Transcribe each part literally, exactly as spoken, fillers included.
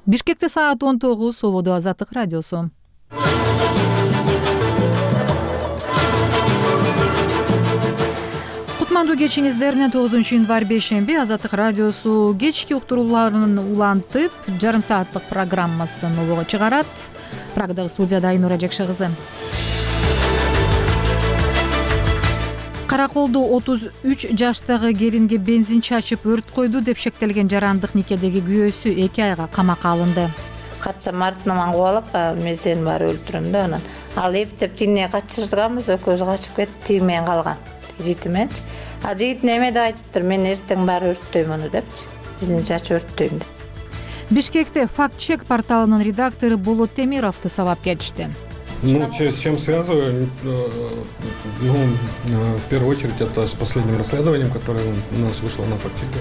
Бишкекте саат он тогуз, Ободо Азаттык радиосу. Кутмандуу кечиңиздер менен тогузунчу январь бейшемби Азаттык радиосу кечки уктурууларын улантып, жарым сааттык программасын обого чыгарат. Прагадагы студияда Айнура Жакшы кызы. Караколдо отуз үч жаштагы келинге бензин чачып өрт койду деп шектелген жарандык никедеги күйөөсү эки айга камакка алынды. Катсам артынан кубалап, мен сени баары өлтүрөм да анан. Ал эптеп тине качырганбыз, экөөбүз качып кетип, тиймен калган. Житименчи. А жигит неме деп айтыптыр, мен эртең баары өрттөйм аны депчи. Биздин чачып өрттөйм деп. Бишкекте факт-чек порталынын редактору Болот Темировду сабап кетишти. Ну, с чем связываю? Ну, в первую очередь, это с последним расследованием, которое у нас вышло на факт-чеке.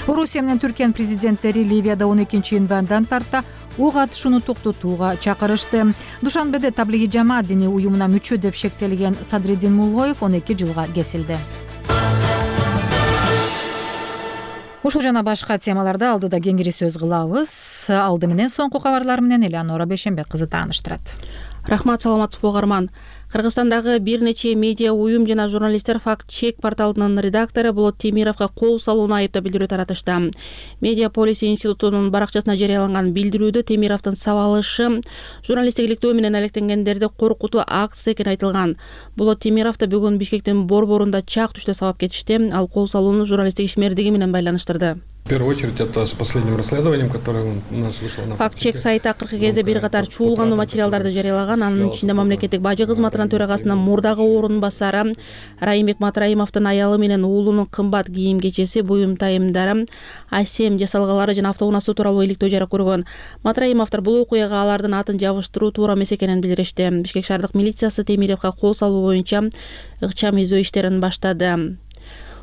Орусия менен Түркиянын президенттери Ливияда он экинчи январдан тарта ок атышууну токтотууга чакырышты. Душанбеде Таблиги жамаат диний уюмуна мүчө деп шектелген Садреддин Муллоев он эки жылга кесилди. Ушул жана башка темаларды алдыда кеңири сөз кылабыз. Алды менен соңку кабарлар менен Элеонора Бейшембек кызы тааныштырат. Рахмат, саламатсызбы угарман. Кыргызстандагы бир нече медиа уюм жана журналисттер факт-чек порталынын редактору Болот Темировго кол салууну айыптап билдирүү таратышты. Медиа Полис институтунун баракчасына жарыяланган билдирүүдө Темировдун сабалышы журналисттик иликтөө менен алектенгендерди коркутуу акция экени айтылган. Болот Темировду бүгүн Бишкектин борборунда чак түштө сабап кетишти. Ал кол салууну журналисттик ишмердиги менен байланыштырды. В первую очередь, это с последним расследованием, которое у нас вышло на факт-чек сайты акыркы кезде бир катар чуулгандуу материалдарды жарыялаган. Анын ичинде мамлекеттик бажы кызматынын төрагасынын мурдагы орун басары Райымбек Матраимовдун аялы менен уулунун кымбат кийим кечеси, буюм тайымдары, асем жасалгалары жана автоунаасы тууралуу иликтөө жарык көргөн. Матраимовдор бул окуяга алардын атын жабыштыруу туура эмес экенин билдиришти. Бишкек шаардык милициясы Темировго кол салуу боюнча ыкчам изөө иштерин баштады.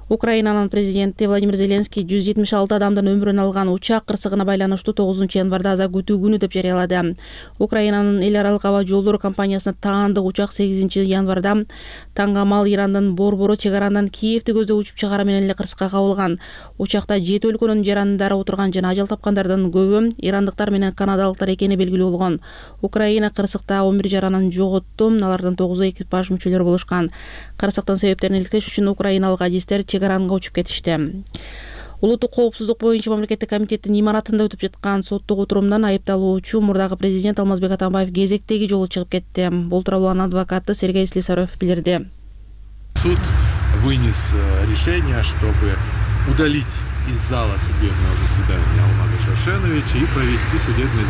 Украинанын президенти Владимир Зеленский жүз жетимиш алты адамдын өмүрүн алган учак кырсыгына байланыштуу тогузунчу январда аза күтүү күнү деп жарыялады. Украинанын эл аралык аба жолдору компаниясына таандык учак сегизинчи январда Тангамал Ирандын борбору чек арандан Киевди көздөп учуп чыгары менен эле кырсыкка кабылган. Учакта жети өлкөнүн жарандары отурган жана ажал тапкандардын көбү ирандыктар менен канадалыктар экени белгилүү болгон. Украина кырсыкта он бир жаранын жоготту, алардын тогузу экипаж мүчөлөрү болушкан. Кырсыктын себептерин иликтеш үчүн украиналык адистер чек аранга учуп кетишти. Улуттук коопсуздук боюнча мамлекеттик комитеттин имаратында өтүп жаткан соттук отурумдан айыпталуучу мурдагы президент Алмазбек Атамбаев кезектеги жолу чыгып кетти. Бул тууралуу анын адвокаты Сергей Слесарев билдирди. Суд вынес решение, чтобы удалить из зала судебного заседания Алмаза Шашеновича и провести судебное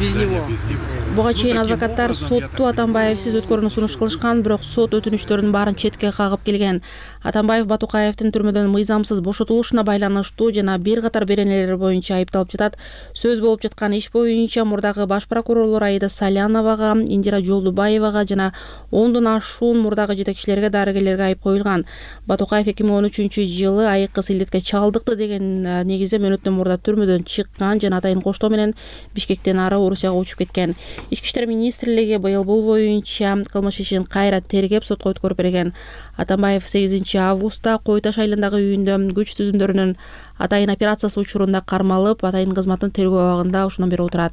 заседание без него. Буга чейин адвокаттар сотту Атамбаевсиз өткөрүүнү сунуш кылышкан, бирок сот өтүнүчтөрүнүн баарын четке кагып келген. Атамбаев Батукаевдин түрмөдөн мыйзамсыз бошотулушуна байланыштуу жана бир катар беренелер боюнча айыпталып жатат. Сөз болуп жаткан иш боюнча мурдагы баш прокурорлор Аида Саляновага, Индира Жолдубаевага жана ондон ашуун мурдагы жетекчилерге, дарыгерлерге айып коюлган. Батукаев эки миң он үчүнчү жылы айыккыс илдетке чалдыкты деген негизде мөөнөттөн мурда түрмөдөн чыккан жана атайын коштоо менен Бишкектен ары Орусияга учуп кеткен. Ички иштер министрлиги быйыл бул боюнча кылмыш ишин кайра тергеп сотко өткөрүп берген. Атамбаев сегизинчи августта Кой Таш айылындагы үйүндө күч түзүмдөрүнүн атайын операциясы учурунда кармалып, атайын кызматтын тергөө абагында ошондон бери отурат.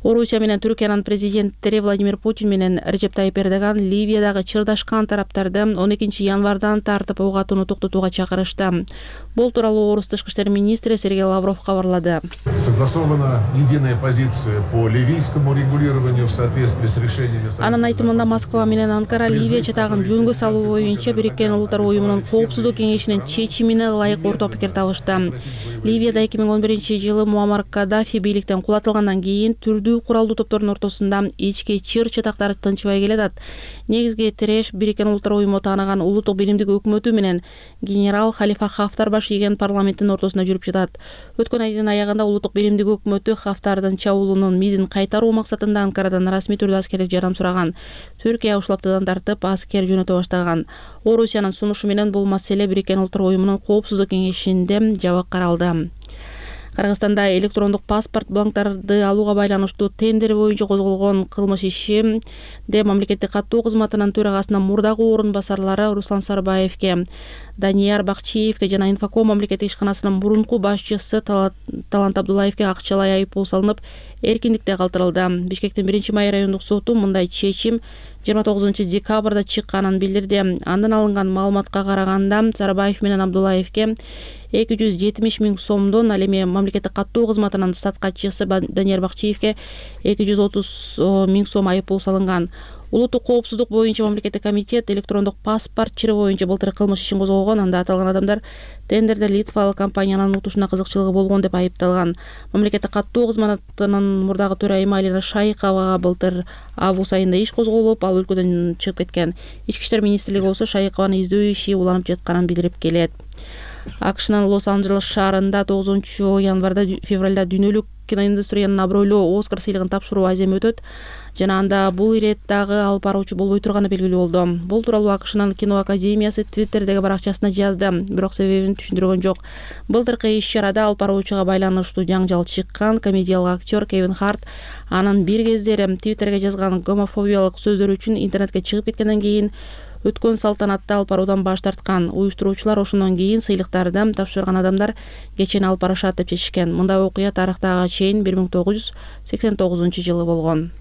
Орусия менен Түркиянын президенттери Владимир Путин менен Режеп Тайип Эрдоган Ливиядагы чырдашкан тараптарды он экинчи январдан тартып ок атууну токтотууга чакырышты. Бул тууралуу Орус тышкы иштер министри Сергей Лавров кабарлады. Согласована единая позиция по ливийскому регулированию в соответствии с решениями. Анын айтымында Москва менен Анкара Ливия чатагын жөнгө салуу боюнча Бириккен Улуттар уюмунун коопсуздук кеңешинин чечимине ылайык орток пикир табышты. Ливияда эки миң он биринчи жылы Муаммар Каддафи бийликтен кулатылгандан кийин түрдүү куралдуу топтордун ортосунда ички чыр чатактар тынчыбай келатат. Негизги тиреш Бириккен Улуттар уюму тааныган улуттук биримдик өкмөтү менен генерал Халифа Хафтар баш ийген парламенттин ортосунда жүрүп жатат. Өткөн айдын аягында улуттук биримдик өкмөтү Хафтардын чабуулунун мизин кайтаруу максатында Анкарадан расмий түрдө аскерлик жардам сураган. Түркия ушул аптадан тартып аскер жөнөтө баштаган. Орусиянын сунушу менен бул маселе Бириккен Улуттар уюмунун коопсуздук кеңешинде жабык каралды. Кыргызстанда электрондук паспорт бланктарды алууга байланыштуу тендер боюнча козголгон кылмыш ишинде мамлекеттик каттоо кызматынын төрагасынын мурдагы орун басарлары Руслан Сарбаевке, Данияр Бакчиевке жана Инфоком мамлекеттик ишканасынын мурунку башчысы Талант Абдуллаевке акчалай айыппул салынып, эркиндикте калтырылды. Бишкектин биринчи май райондук соту мындай чечим жыйырма тогузунчу декабрда чыкканын билдирди. Андан алынган маалыматка караганда Сарбаев менен Абдуллаевке эки жүз жетимиш миң сомдон, ал эми мамлекеттик каттоо кызматынын статкачысы Данияр Бакчиевке эки жүз отуз миң сом айыппул салынган. Улуттук коопсуздук боюнча мамлекеттик комитет электрондук паспорт чыры боюнча былтыр кылмыш ишин козгогон. Анда аталган адамдар тендерде литвалык компаниянын утушуна кызыкчылыгы болгон деп айыпталган. Мамлекеттик каттоо кызматынын мурдагы төрайымы Алина Шайыковага былтыр август айында иш козголуп, ал өлкөдөн чыгып кеткен. Ички иштер министрлиги болсо Шайыкованы издөө иши уланып жатканын билдирип келет. АКШнын Лос-Анджелес шаарында тогузунчу январда февралда дүйнөлүк киноиндустриянын абройлуу Оскар сыйлыгын тапшыруу аземи өтөт жана анда бул ирет дагы алып баруучу болбой турганы белгилүү болду. Бул тууралуу АКШнын кино академиясы Твиттердеги баракчасына жазды, бирок себебин түшүндүргөн жок. Былтыркы иш-чарада алып баруучуга байланыштуу жаңжал чыккан. Комедиялык актер Кевин Харт анын бир кездери Твиттерге жазган гомофобиялык сөздөрү үчүн интернетке чыгып кеткенден кийин өткөн салтанатта алып баруудан баш тарткан. Уюштуруучулар ошондон кийин сыйлыктарды тапшырган адамдар кечени алып барышат деп чечишкен. Мындай окуя тарыхтага чейин бир миң тогуз жүз сексен тогузунчу жылы болгон.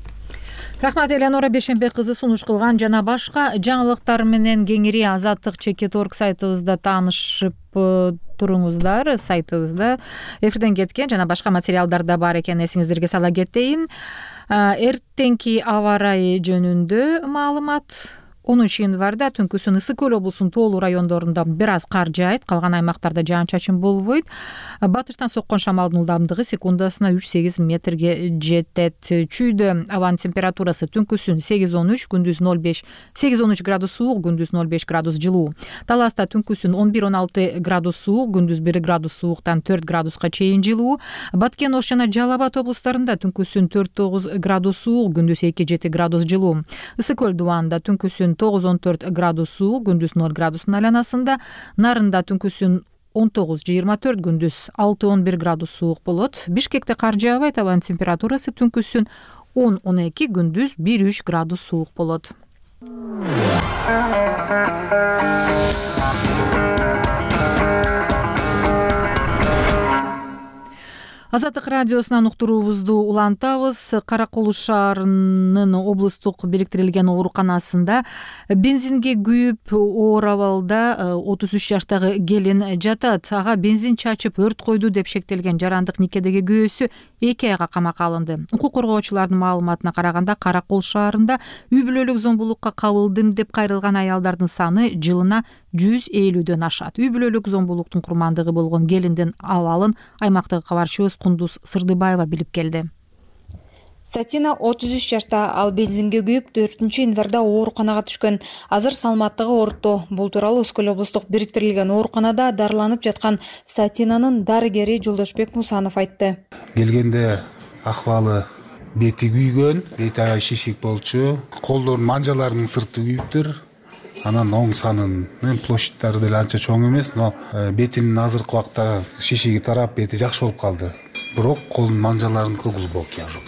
Рахмат, Элеонора Бешенбек кызы сунуш кылган. Жана башка жаңылыктар менен кеңири азаттык чекит орг сайтыбызда таанышып туруңуздар. Сайтыбызда эфирден кеткен жана башка материалдар да бар экенин эсиңиздерге сала кетейин. Эртеңки аба ырайы жөнүндө маалымат. онунчу январда түнкүсүн Ысык Көл облусунун тоолуу райондорунда бир аз кар жаайт, калган аймактарда жаан-чачын болбойт. Батыштан соккон шамалдын ылдамдыгы секундасына үч сегиз метрге жетет. Чүйдө абанын температурасы түнкүсүн сегиз он үч, күндүз ноль беш сегиз он үч градус суук, күндүз ноль беш градус жылуу. Таласта түнкүсүн он бир он алты градус суук, күндүз бир градус сууктан төрт градуска чейин жылуу. Баткен Ош жана Жалал Абад облустарында түнкүсүн төрт тогуз градус суук, күндүз эки жети градус жылуу. Ысык Көл дубанында түнкүсүн тогуз он төрт градус суук, күндүз ноль градустун айланасында. Нарында түнкүсүн он тогуз жыйырма төрт, күндүз алты он бир градус суук болот. Бишкекте кар жаабайт, абанын температурасы түнкүсүн он он эки, күндүз бир үч градус суук болот. Азаттык радиосунан уктуруубузду улантабыз. Кара Кулуш шаарынын облустук бириктирилген ооруканасында бензинге күйүп оор абалда отуз үч жаштагы келин жатат. Ага бензин чачып өрт койду деп шектелген жарандык никедеги күйөөсү эки айга камакка алынды. Укук коргоочулардын маалыматына караганда Кара Кулуш шаарында үй бүлөлүк зомбулукка кабылдым деп кайрылган аялдардын саны жылына жүз элүүдөн ашат. Үй бүлөлүк зомбулуктун курмандыгы болгон келиндин абалын аймактагы кабарчыбыз Кундуз Сырдыбаева билип келди. Сатина отуз үч жашта, ал бензинге күйүп төртүнчү январда ооруканага түшкөн. Азыр саламаттыгы орто. Бул тууралуу Ысык Көл облустук бириктирилген ооруканада дарыланып жаткан Сатинанын дарыгери Жолдошбек Мусанов айтты. Келгенде акыбалы бети күйгөн, бети аябай шишик болчу, колдорунун манжаларынын сырты күйүптүр. Анан оң санынын площадьтары деле анча чоң эмес, но бетинин азыркы убакта шишиги тарап, бети жакшы болуп калды. Бирок колунун манжаларыныкы глубокий ожог.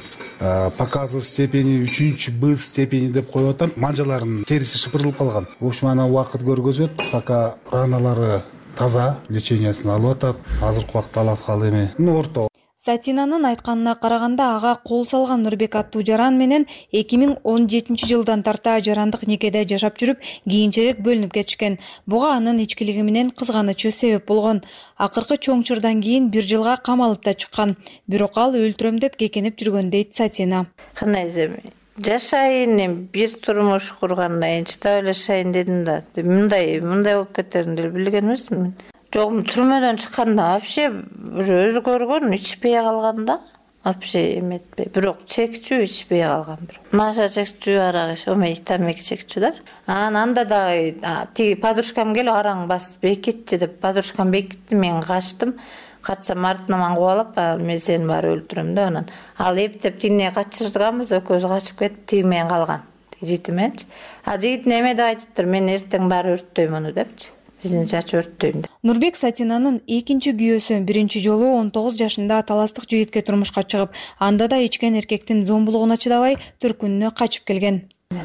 Показы степени үчүнчү Б степени деп коюп атам. Манжаларынын териси шыпырылып калган. В общем, ана убакыт көргөзөт, пока раналары таза, лечениясын алып атат. Азыркы убакта алаткалы эме. Ну, орто. Сатинанын айтканына караганда ага кол салган Нурбек аттуу жаран менен эки миң он жетинчи жылдан тарта жарандык никеде жашап жүрүп, кийинчерээк бөлүнүп кетишкен. Буга анын ичкилиги менен кызганычы себеп болгон. Акыркы чоң чырдан кийин бир жылга камалып да чыккан. Бирок ал өлтүрөм деп кекенип жүргөн дейт Сатина. Кандай эми жашайын, бир турмуш кургандан кийин чыдап жашайын дедим да. Мындай, мындай болуп кетерин деле билген эмесмин. Жок, түрмөдөн чыкканда вообще өзгөргөн, ичпей калганда вообще эметпей. Бирок чекчүү ичпей калган бирок. Наша чекчүү, арак ич, омей тамеки чекчүү да. Анан анда дагы тиги подружкам келип араң басып бекитчи деп, подружкам бекитти, мен качтым. Качсам артынан кубалап, мен сени баары өлтүрөм деп анан. Ал эптеп тигине качырганбыз, экөөбүз качып кетип, тиги менен калган. Жигити менчи. А жигит неме деп айтыптыр, мен эртең баары өрттөйм аны депчи. биздин чач өрттөйм деп. Нурбек Сатинанын экинчи күйөөсү биринчи жолу он тогуз жашында таластык жигитке турмушка чыгып, анда да ичкен эркектин зомбулугуна чыдабай төркүнүнө качып келген.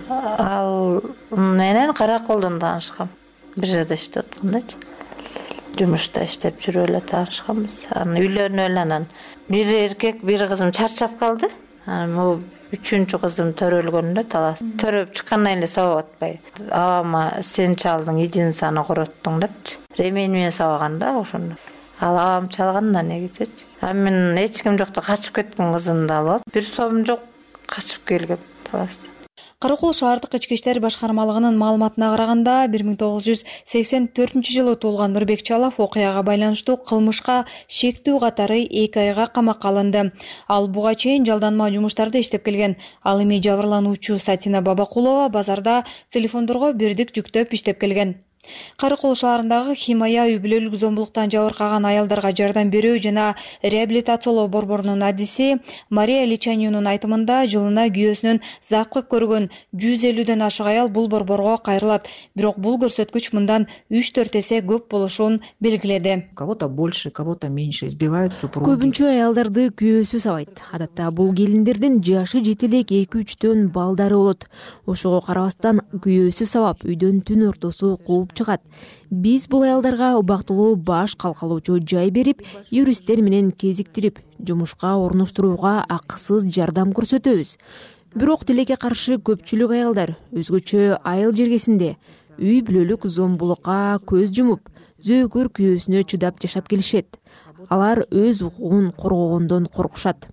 Ал менен Караколдон таанышкам. Бир жерде иштеп аткандачы. Жумушта иштеп жүрүп эле таанышканбыз. Анан үйлөнүп эле анан бир эркек, бир кызым чарчап калды. Анан могу үчүнчү кызым төрөлгөндө талас. Төрөп чыккандан эле сабап атпай. Абама сен чалдың, единицаны короттуң депчи. Ремень менен сабаган да ошондо. Ал абам чалган да негизичи. А мен эч ким жокто качып кеткен кызымды алып алып, бир сом жок качып келгем таласта. Каракол шаардык ички иштер башкармалыгынын маалыматына караганда, бир миң тогуз жүз сексен төртүнчү жылы туулган Нурбек Чалов окуяга байланыштуу кылмышка шектүү катары эки айга камакка алынды. Ал буга чейин жалданма жумуштарда иштеп келген. Ал эми жабырлануучу Сатина Бабакулова базарда телефондорго бирдик жүктөп иштеп келген. Каракол шаарындагы Химая үй бүлөлүк зомбулуктан жабыркаган аялдарга жардам берүү жана реабилитациялоо борборунун адиси Мария Личанинун айтымында, жылына күйөөсүнөн запкы көргөн жүз элүүдөн ашык аял бул борборго кайрылат. Бирок бул көрсөткүч мындан үч төрт эсе көп болушун белгиледи. Кого-то больше, кого-то меньше избивают супруги. Көбүнчө аялдарды күйөөсү сабайт. Адатта бул келиндердин жашы жете элек эки үчтөн балдары болот. Ошого карабастан күйөөсү сабап, үйдөн түн ортосу кууп чыгат. Биз бул аялдарга убактылуу баш калкалоочу жай берип, юристтер менен кезиктирип, жумушка орноштурууга акысыз жардам көрсөтөбүз. Бирок тилекке каршы көпчүлүк аялдар өзгөчө айыл жергесинде үй бүлөлүк зомбулукка көз жумуп, зөөкөр күйөөсүнө чыдап жашап келишет. Алар өз укугун коргогондон коркушат.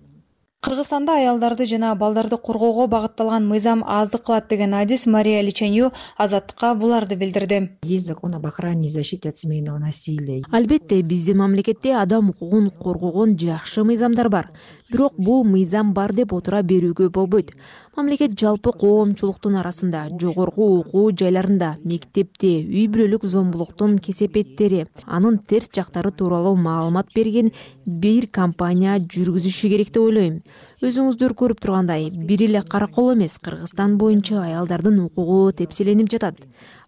Кыргызстанда аялдарды жана балдарды коргоого багытталган мыйзам аздык кылат деген адис Мария Личанию Азаттыкка буларды билдирди. Есть закон об охране и защите от семейного насилия. Албетте, биздин мамлекетте адам укугун коргогон жакшы мыйзамдар бар. Бирок бул мыйзам бар деп отура берүүгө болбойт. Мамлекет жалпы коомчулуктун арасында, жогорку окуу жайларында, мектепте үй бүлөлүк зомбулуктун кесепеттери, анын терс жактары тууралуу маалымат берген бир компания жүргүзүшү керек деп ойлойм. Өзүңүздөр көрүп тургандай, бир эле Каракол эмес, Кыргызстан боюнча аялдардын укугу тепселенип жатат.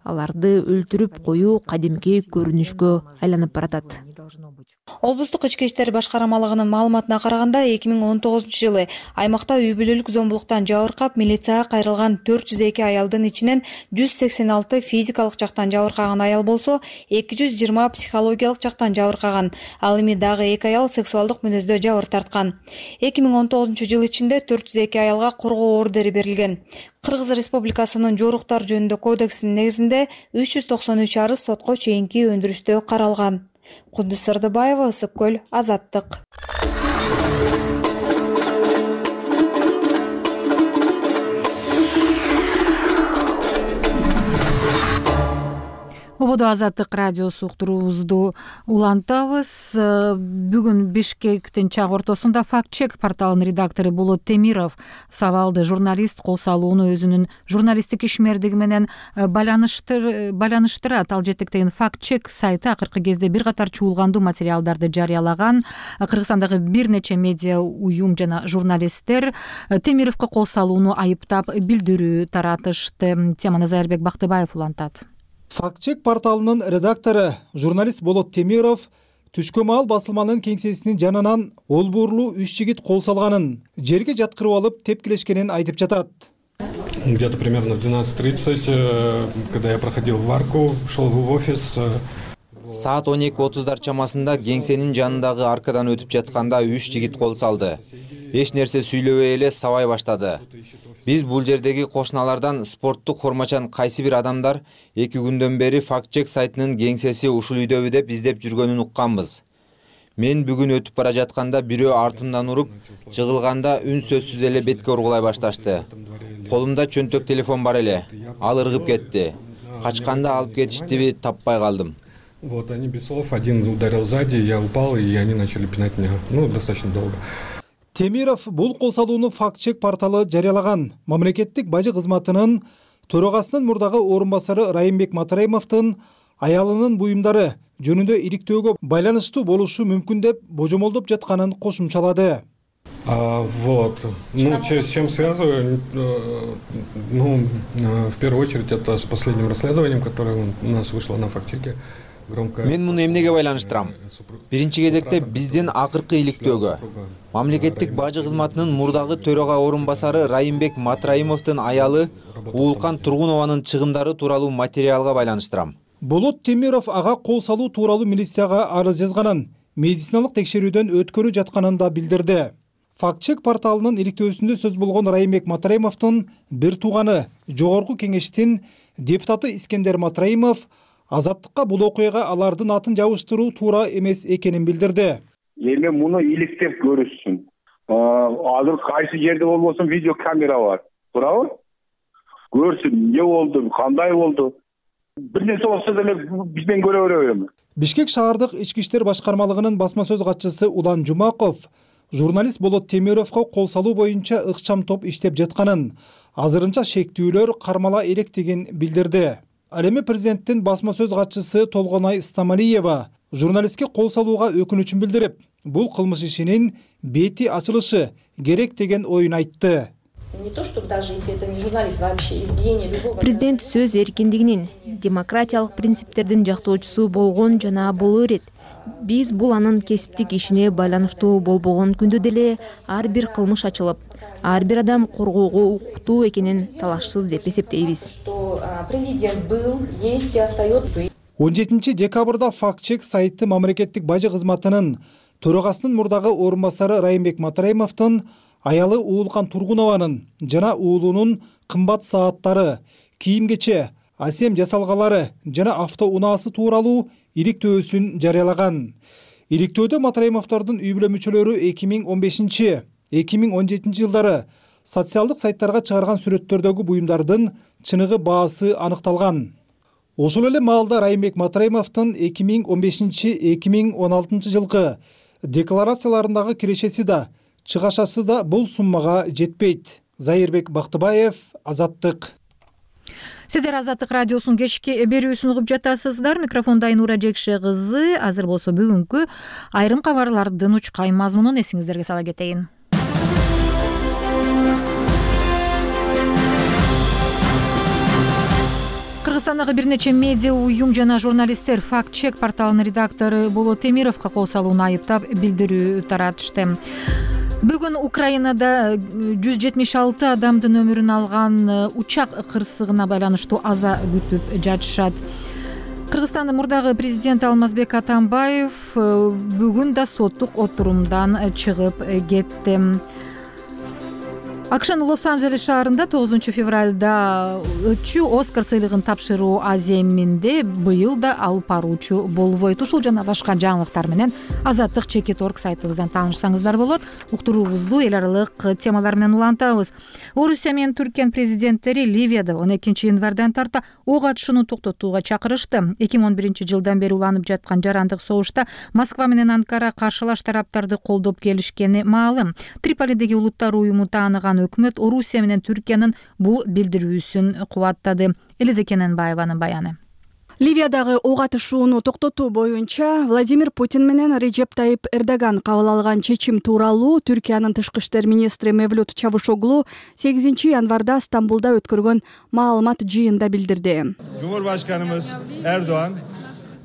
Аларды өлтүрүп коюу кадимки көрүнүшкө айланып баратат. Облустук ички иштер башкармалыгынын маалыматына караганда, эки миң он тогузунчу жылы аймакта үй бүлөлүк зомбулуктан жабыркап, милицияга кайрылган төрт жүз эки аялдын ичинен жүз сексен алты физикалык жактан жабыркаган аял болсо, эки жүз жыйырма психологиялык жактан жабыркаган. Ал эми дагы эки аял сексуалдык мүнөздө жабыр тарткан. эки миң он тогузунчу жыл ичинде төрт жүз эки аялга коргоо ордери берилген. Кыргыз Республикасынын жоруктар жөнүндө кодексинин негизинде үч жүз токсон үч арыз сотко чейинки өндүрүштө каралган. Кудус Сырдыбаева, Ысык көл, Азаттык. Ободо Азаттык радиосу уктуруубузду улантабыз. Бүгүн Бишкектин чак ортосунда факт-чек порталынын редактору Болот Темиров сабалды журналист кол салууну өзүнүн журналисттик ишмердиги менен байланыштырат. Ал жетектеген факт-чек сайты акыркы кезде бир катар чуулгандуу материалдарды жарыялаган. Кыргызстандагы бир нече медиа уюм жана журналисттер Темировго кол салууну айыптап билдирүү таратышты. Теманы Зайырбек Бактыбаев улантат. Факт-чек порталынын редактору журналист Болот Темиров түшкө маал басылманын кеңсесинин жанынан олбуурлуу үч жигит кол салганын, жерге жаткырып алып тепкилешкенин айтып жатат. Где-то примерно в двенадцать тридцать, когда я проходил варку, шел в офис. Саат он эки отуздар чамасында кеңсенин жанындагы аркадан өтүп жатканда үч жигит кол салды. Эч нерсе сүйлөбөй эле сабай баштады. Биз бул жердеги кошуналардан спорттук формачан кайсы бир адамдар эки күндөн бери факт-чек сайтынын кеңсеси ушул үйдөбү деп издеп жүргөнүн укканбыз. Мен бүгүн өтүп бара жатканда бирөө артымдан уруп, жыгылганда үн сөзсүз эле бетке ургулай башташты. Колумда чөнтөк телефон бар эле. Ал ыргып кетти. Качканда алып кетиштиби таппай калдым. Вот они без слов, один ударил сзади, я упал, и они начали пинать меня, ну, достаточно долго. Темиров бул кол салууну факт-чек порталы жарыялаган. Мамлекеттик бажы кызматынын төрагасынын мурдагы орун басары Райымбек Матраимовдун аялынын буюмдары жөнүндө иликтөөгө байланыштуу болушу мүмкүн деп божомолдоп жатканын кошумчалады. А, вот. Ну, с чем связываю? Ну, в первую очередь, это с последним расследованием, которое у нас вышло на факт-чеке. Мен муну эмнеге байланыштырам? Биринчи кезекте биздин акыркы иликтөөгө, мамлекеттик бажы кызматынын мурдагы төрага орун басары Райымбек Матраимовдун аялы Уулкан Тургунованын чыгымдары тууралуу материалга байланыштырам. Болот Темиров ага кол салуу тууралуу милицияга арыз жазганын, медициналык текшерүүдөн өткөрүп жатканын да билдирди. Факт-чек порталынын иликтөөсүндө сөз болгон Райымбек Матраимовдун бир тууганы, жогорку кеңештин депутаты Искендер Матраимов Азаттыкка бул окуяга алардын атын жабыштыруу туура эмес экенин билдирди. Эми муну иликтеп көрүшсүн. Азыр кайсы жерде болбосун видео камера бар. Туурабы? Көрсүн, эмне болду, кандай болду. Бир нерсе болсо деле бизден көрө беребиз. Бишкек шаардык ички иштер башкармалыгынын басма сөз катчысы Улан Жумаков журналист Болот Темировго кол салуу боюнча ыкчам топ иштеп жатканын, азырынча шектүүлөр кармала электигин билдирди. Ал эми президенттин басма сөз катчысы Толгонай Стамалиева журналистке кол салууга өкүнүчүн билдирип, бул кылмыш ишинин бети ачылышы керек деген оюн айтты. Президент сөз эркиндигинин, демократиялык принциптердин жактоочусу болгон жана боло берет. Биз бул анын кесиптик ишине байланыштуу болбогон күндө деле ар бир кылмыш ачылып, ар бир адам коргоого укуктуу экенин талашсыз деп эсептейбиз. он жетинчи декабрда факт-чек сайты мамлекеттик бажы кызматынын төрагасынын мурдагы орун басары Райымбек Матраимовдун аялы Уулкан Тургунованын жана уулунун кымбат сааттары, кийим-кече, асем жасалгалары жана автоунаасы тууралуу иликтөөсүн жарыялаган. Иликтөөдө Матраимовдордун үй бүлө мүчөлөрү эки миң он бешинчи эки миң он жетинчи жылдары социалдык сайттарга чыгарган сүрөттөрдөгү буюмдардын чыныгы баасы аныкталган. Ошол эле маалда Райымбек Матраимовдун эки миң он бешинчи эки миң он алтынчы жылкы декларацияларындагы кирешеси да, чыгашасы да бул суммага жетпейт. Зайырбек Бактыбаев, Азаттык. Сиздер Азаттык радиосунун кечки берүүсүн угуп жатасыздар. Микрофонда Айнура Жекше кызы. Азыр болсо бүгүнкү айрым кабарлардын учкай мазмунун эсиңиздерге сала кетейин. Кыргызстандагы бир нече медиа уюм жана журналисттер факт-чек порталынын редактору Болот Темировго кол салууну айыптап билдирүү таратышты. Бүгүн Украинада жүз жетимиш алты адамдын өмүрүн алган учак кырсыгына байланыштуу аза күтүп жатышат. Кыргызстандын мурдагы президенти Алмазбек Атамбаев бүгүн да соттук отурумдан чыгып кетти. АКШнын Лос-Анджелес шаарында тогузунчу февралда өтчү Оскар сыйлыгын тапшыруу аземинде быйыл да алып баруучу болбойт. Ушул жана башка жаңылыктар менен Азаттык чекит точка орг сайтыбыздан таанышсаңыздар болот. Уктуруубузду эл аралык темалар менен улантабыз. Орусия менен Түркиянын президенттери Ливияда он экинчи январдан тарта ок атышууну токтотууга чакырышты. эки миң он биринчи жылдан бери уланып жаткан жарандык согушта Москва менен Анкара каршылаш тараптарды колдоп келишкени маалым. Триполидеги улуттар уюму тааныган өкмөт Орусия менен Түркиянын бул билдирүүсүн кубаттады. Элизе Кененбаеванын баяны. Ливиядагы ок атышууну токтотуу боюнча Владимир Путин менен Режеп Тайип Эрдоган кабыл алган чечим тууралуу Түркиянын тышкы иштер министри Мевлют Чавушоглу сегизинчи январда Стамбулда өткөргөн маалымат жыйында билдирди. Cumhurbaşkanımız Erdoğan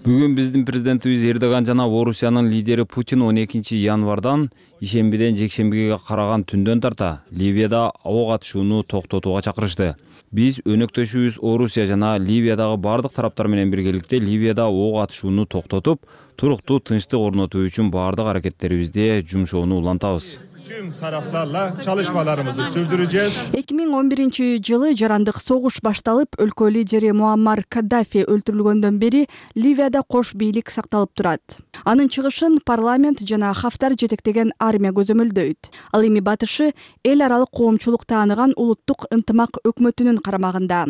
Бүгүн биздин президентибиз Эрдоган жана Орусиянын лидери Путин он экинчи январдан ишембиден жекшембиге караган түндөн тарта Ливияда ок атышууну токтотууга чакырышты. Биз өнөктөшүбүз Орусия жана Ливиядагы бардык тараптар менен биргеликте Ливияда ок атышууну токтотуп, туруктуу тынчтык орнотуу үчүн бардык аракеттерибизде жумшоону улантабыз. Tüm taraflarla çalışmalarımızı sürdüreceğiz. эки миң он биринчи жылы жарандык согуш башталып, өлкө лидери Муаммар Каддафи өлтүрүлгөндөн бери Ливияда кош бийлик сакталып турат. Анын чыгышын парламент жана Хафтар жетектеген армия көзөмөлдөйт. Ал эми батышы эл аралык коомчулук тааныган улуттук ынтымак өкмөтүнүн карамагында.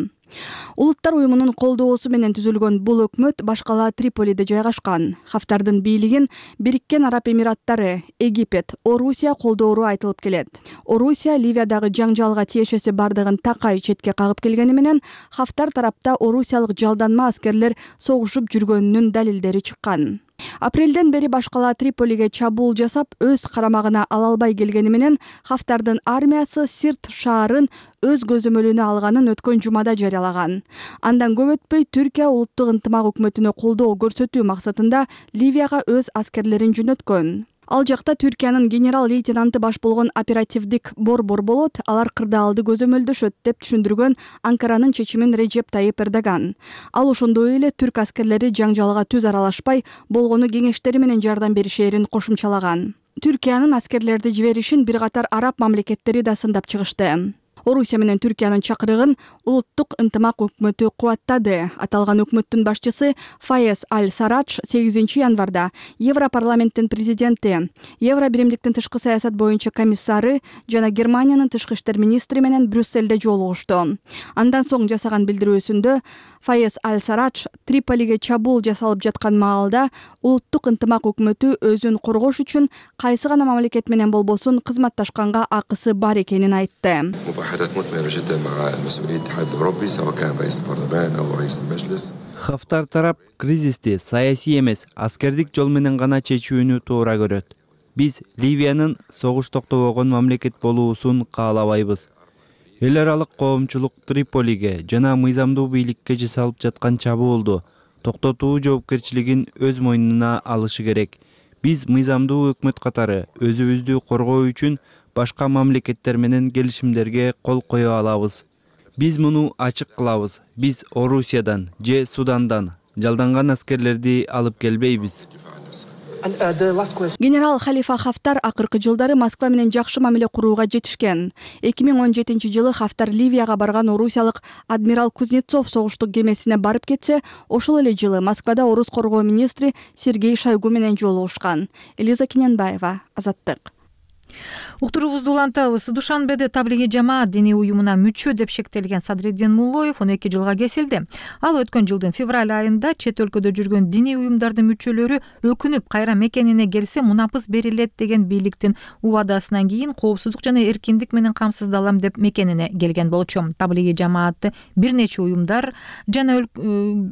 Улуттар уюмунун колдоосу менен түзүлгөн бул өкмөт башкала Триполиде жайгашкан. Хафтардын бийлигин Бириккен Араб Эмираттары, Египет, Орусия колдоору айтылып келет. Орусия Ливиядагы жаңжалга тиешеси бардыгын такай четке кагып келгени менен Хафтар тарапта орусиялык жалданма аскерлер согушуп жүргөнүнүн далилдери чыккан. Апрелден бери башкала Триполиге чабуул жасап, өз карамагына ала албай келгени менен Хафтардын армиясы Сирт шаарын өз көзөмөлүнө алганын өткөн жумада жарыялаган. Андан көп өтпөй Түркия улуттук ынтымак өкмөтүнө колдоо көрсөтүү максатында Ливияга өз аскерлерин жөнөткөн. Ал жакта Түркиянын генерал-лейтенанты баш болгон оперативдик борбор болот, алар кырдаалды көзөмөлдөшөт деп түшүндүргөн Анкаранын чечимин Режеп Тайып Эрдоган. Ал ошондой эле түрк аскерлери жаңжалга түз аралашпай, болгону кеңештери менен жардам беришээрин кошумчалаган. Түркиянын аскерлерди жиберишин бир катар араб мамлекеттери да сындап чыгышты. Орусия менен Түркиянын чакырыгын улуттук ынтымак өкмөтү кубаттады. Аталган өкмөттүн башчысы Файез Аль-Сарадж сегизинчи январда Европарламенттин президенти, Евро биримдиктин тышкы саясат боюнча комиссары жана Германиянын тышкы иштер министри менен Брюссельде жолугушту. Андан соң жасаган билдирүүсүндө Файез Аль-Сарадж Триполиге чабуул жасалып жаткан маалда улуттук ынтымак өкмөтү өзүн коргош үчүн кайсы гана мамлекет менен болбосун кызматташканга акысы бар экенин айтты. Хафтар тарап кризисти саясий эмес, аскердик жол менен гана чечүүнү туура көрөт. Биз Ливиянын согуш токтобогон мамлекет болуусун каалабайбыз. Эл аралык коомчулук Триполиге жана мыйзамдуу бийликке жасалып жаткан чабуулду токтотуу жоопкерчилигин өз мойнуна алышы керек. Биз мыйзамдуу өкмөт катары өзүбүздү коргоо үчүн башка мамлекеттер менен келишимдерге кол кое алабыз. Биз муну ачык кылабыз. Биз Орусиядан же Судандан жалданган аскерлерди алып келбейбиз. Генерал Халифа Хафтар акыркы жылдары Москва менен жакшы мамиле курууга жетишкен. эки миң он жетинчи жылы Хафтар Ливияга барган орусиялык адмирал Кузнецов согуштук кемесине барып кетсе, ошол эле жылы Москвада орус коргоо министри Сергей Шойгу менен жолугушкан. Элиза Кененбаева, Азаттык. Уктуруубузду улантабыз. Душанбеде таблиги жамаат диний уюмуна мүчө деп шектелген Садреддин Муллоев он эки жылга кесилди. Ал өткөн жылдын февраль айында чет өлкөдө жүргөн диний уюмдардын мүчөлөрү өкүнүп кайра мекенине келсе мунапыс берилет деген бийликтин убадасынан кийин коопсуздук жана эркиндик менен камсыздалам деп мекенине келген болчу. Таблиги жамаатты бир нече уюмдар жана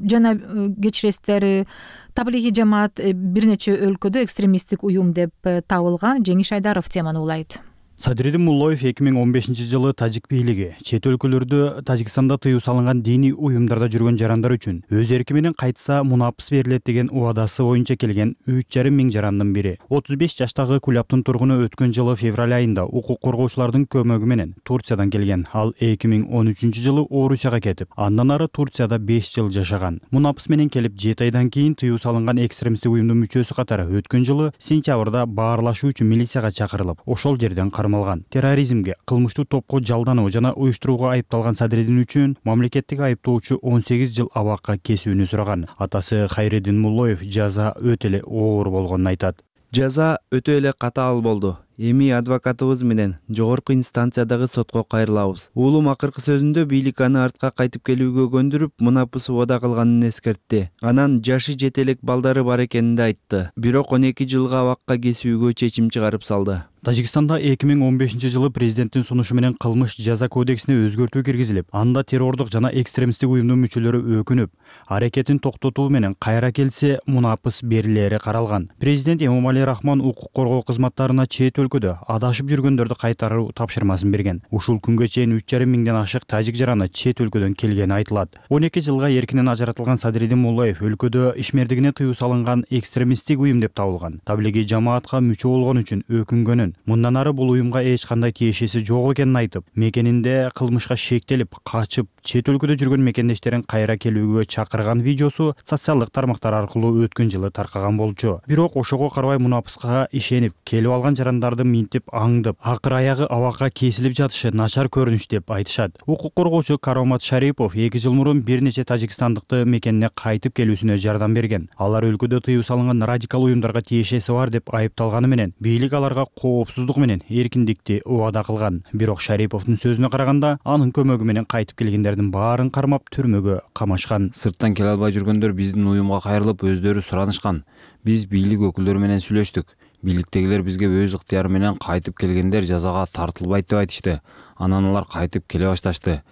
жана кечиресиздер, таблиги жамаат бир нече өлкөдө экстремисттик уюм деп табылган. Жеңиш Айдаров теманы улайт. Садреддин Муллоев эки миң он бешинчи жылы тажик бийлиги чет өлкөлөрдө Тажикстанда тыюу салынган диний уюмдарда жүргөн жарандар үчүн өз эрки менен кайтса мунапыс берилет деген убадасы боюнча келген үч жарым миң жарандын бири. отуз беш жаштагы Кулаптын тургуну өткөн жылы февраль айында укук коргоочулардын көмөгү менен Турциядан келген. Ал эки миң он үчүнчү жылы Орусияга кетип, андан ары Турцияда беш жыл жашаган. Мунапыс менен келип жети айдан кийин тыюу салынган экстремисттик уюмдун мүчөсү катары өткөн жылы сентябрда баарлашуу үчүн милицияга чакырылып, ошол жерден кармалган. Терроризмге, кылмыштуу топко жалдануу жана уюштурууга айыпталган Садреддин үчүн мамлекеттик айыптоочу он сегиз жыл абакка кесүүнү сураган. Атасы Хайреддин Муллоев жаза өтө эле оор болгонун айтат. Жаза өтө эле катаал болду. Эми адвокатыбыз менен жогорку инстанциядагы сотко кайрылабыз. Уулум акыркы сөзүндө бийлик аны артка кайтып келүүгө көндүрүп, мунапыс убада кылганын эскертти. Анан жашы жете элек балдары бар экенин да айтты. Бирок он эки жылга абакка кесүүгө чечим чыгарып салды. Тажикстанда эки миң он бешинчи жылы президенттин сунушу менен кылмыш жаза кодексине өзгөртүү киргизилип, анда террордук жана экстремисттик уюмдун мүчөлөрү өкүнүп, аракетин токтотуу менен кайра келсе мунапыс берилери каралган. Президент Эмомали Рахмон укук коргоо кызматтарына чет өлкөдө адашып жүргөндөрдү кайтаруу тапшырмасын берген. Ушул күнгө чейин үч жарым миңден ашык тажик жараны чет өлкөдөн келгени айтылат. он эки жылга эркинен ажыратылган Садреддин Муллоев өлкөдө ишмердигине тыюу салынган экстремисттик уюм деп табылган. Таблиги жамаатка мүчө болгон үчүн өкүнгөнүн, мындан ары бул уюмга эч кандай тиешеси жок экенин айтып, мекенинде кылмышка шектелип, качып, чет өлкөдө жүргөн мекендештерин кайра келүүгө чакырган видеосу социалдык тармактар аркылуу өткөн жылы таркаган болчу. Бирок ошого карабай мунапыска ишенип, келип алган жарандарды минтип аңдып, акыр аягы абакка кесилип жатышы начар көрүнүш деп айтышат. Укук коргоочу Каромат Шарипов эки жыл мурун бир нече тажикстандыкты мекенине кайтып келүүсүнө жардам берген. Алар өлкөдө тыюу салынган радикал уюмдарга тиешеси бар деп айыпталганы менен бийлик аларга коопсуздук менен эркиндикти убада кылган. Бирок Шариповдун сөзүнө караганда, анын көмөгү менен кайтып келгендердин баарын кармап түрмөгө камашкан. Сырттан келе албай жүргөндөр биздин уюмга кайрылып өздөрү суранышкан. Биз бийлик өкүлдөрү менен сүйлөштүк. Бийликтегилер бизге өз ыктыяры менен кайтып келгендер жазага тартылбайт деп айтышты. Анан алар кайтып келе башташты.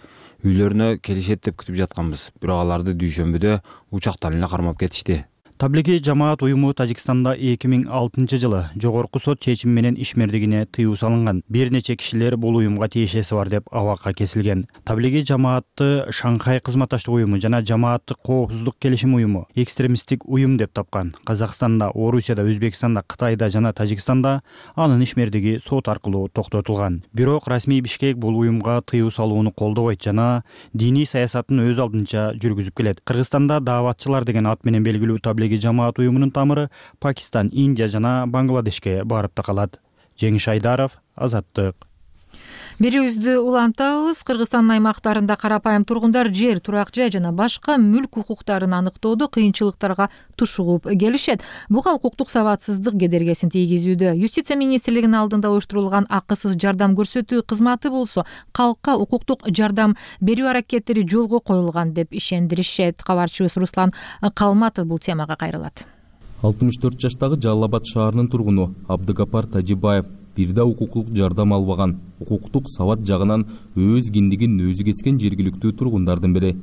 Үйлөрүнө келишет деп күтүп жатканбыз. Бирок аларды дүйшөмбүдө учактан эле кармап кетишти. Таблиги жамаат уюму Тажикстанда эки миң алтынчы жылы жогорку сот чечими менен ишмердигине тыюу салынган. Бир нече кишилер бул уюмга тиешеси бар деп абакка кесилген. Таблиги жамаатты Шанхай кызматташтык уюму жана жамааттык коопсуздук келишим уюму экстремисттик уюм деп тапкан. Казакстанда, Орусияда, Өзбекстанда, Кытайда жана Тажикстанда анын ишмердиги сот аркылуу токтотулган. Бирок расмий Бишкек бул уюмга тыюу салууну колдобойт жана диний саясатын өз алдынча жүргүзүп келет. Кыргызстанда дааватчылар деген ат менен белгилүү таблиги жамаат уюмунун тамыры Пакистан, Индия жана Бангладешке барып такалат. Жеңиш Айдаров, Азаттык. Берүүбүздү улантабыз. Кыргызстандын аймактарында карапайым тургундар жер, турак жай жана башка мүлк укуктарын аныктоодо кыйынчылыктарга тушугуп келишет. Буга укуктук сабатсыздык кедергесин тийгизүүдө. Юстиция министрлигинин алдында уюштурулган акысыз жардам көрсөтүү кызматы болсо калкка укуктук жардам берүү аракеттери жолго коюлган деп ишендиришет. Кабарчыбыз Руслан Калматов бул темага кайрылат. алтымыш төрт жаштагы Жалал Абад шаарынын тургуну Абдыгапар Тажибаев бир да укуктук жардам албаган. Укуктук сабат жагынан өз киндигин өзү кескен жергиликтүү тургундардын бири.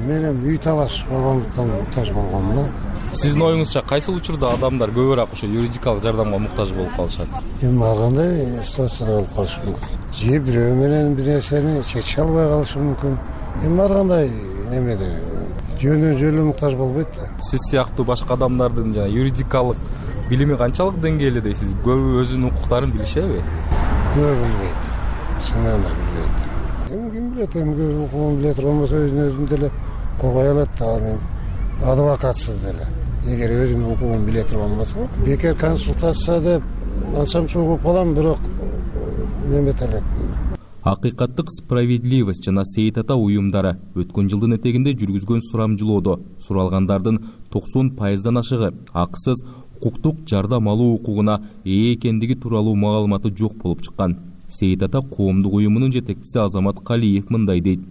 Менин үй талаш болгондуктан муктаж болгом да. Сиздин оюңузча кайсыл учурда адамдар көбүрөөк ошо юридикалык жардамга муктаж болуп калышат? Эми ар кандай ситуацияда болуп калышы мүмкүн. Же бирөө менен бир нерсени чече албай калышы мүмкүн. Эми ар кандай немеде жөнөн жөлү муктаж болбойт да. Сиз сыяктуу башка адамдардын жана юридикалык билими канчалык деңгээлде дейсиз? Көбү өзүнүн укуктарын билишеби? Көбү билбейт. Чынын эле билбейт. Эми ким билет, эми көбү укугун биле турганбаса өзүн өзүн деле коргой алат да, аны адвокатсыз деле. Эгер өзүнүн укугун биле турган болсо, бекер консультация деп анчам чогуп калам, бирок немет элек. Акыйкаттык справедливость жана Сейит ата уюмдары өткөн жылдын этегинде жүргүзгөн сурамжылоодо суралгандардын токсон пайыздан ашыгы акысыз укуктук жардам алуу укугуна ээ экендиги тууралуу маалыматы жок болуп чыккан. Сейит ата коомдук уюмунун жетекчиси Азамат Калиев мындай дейт.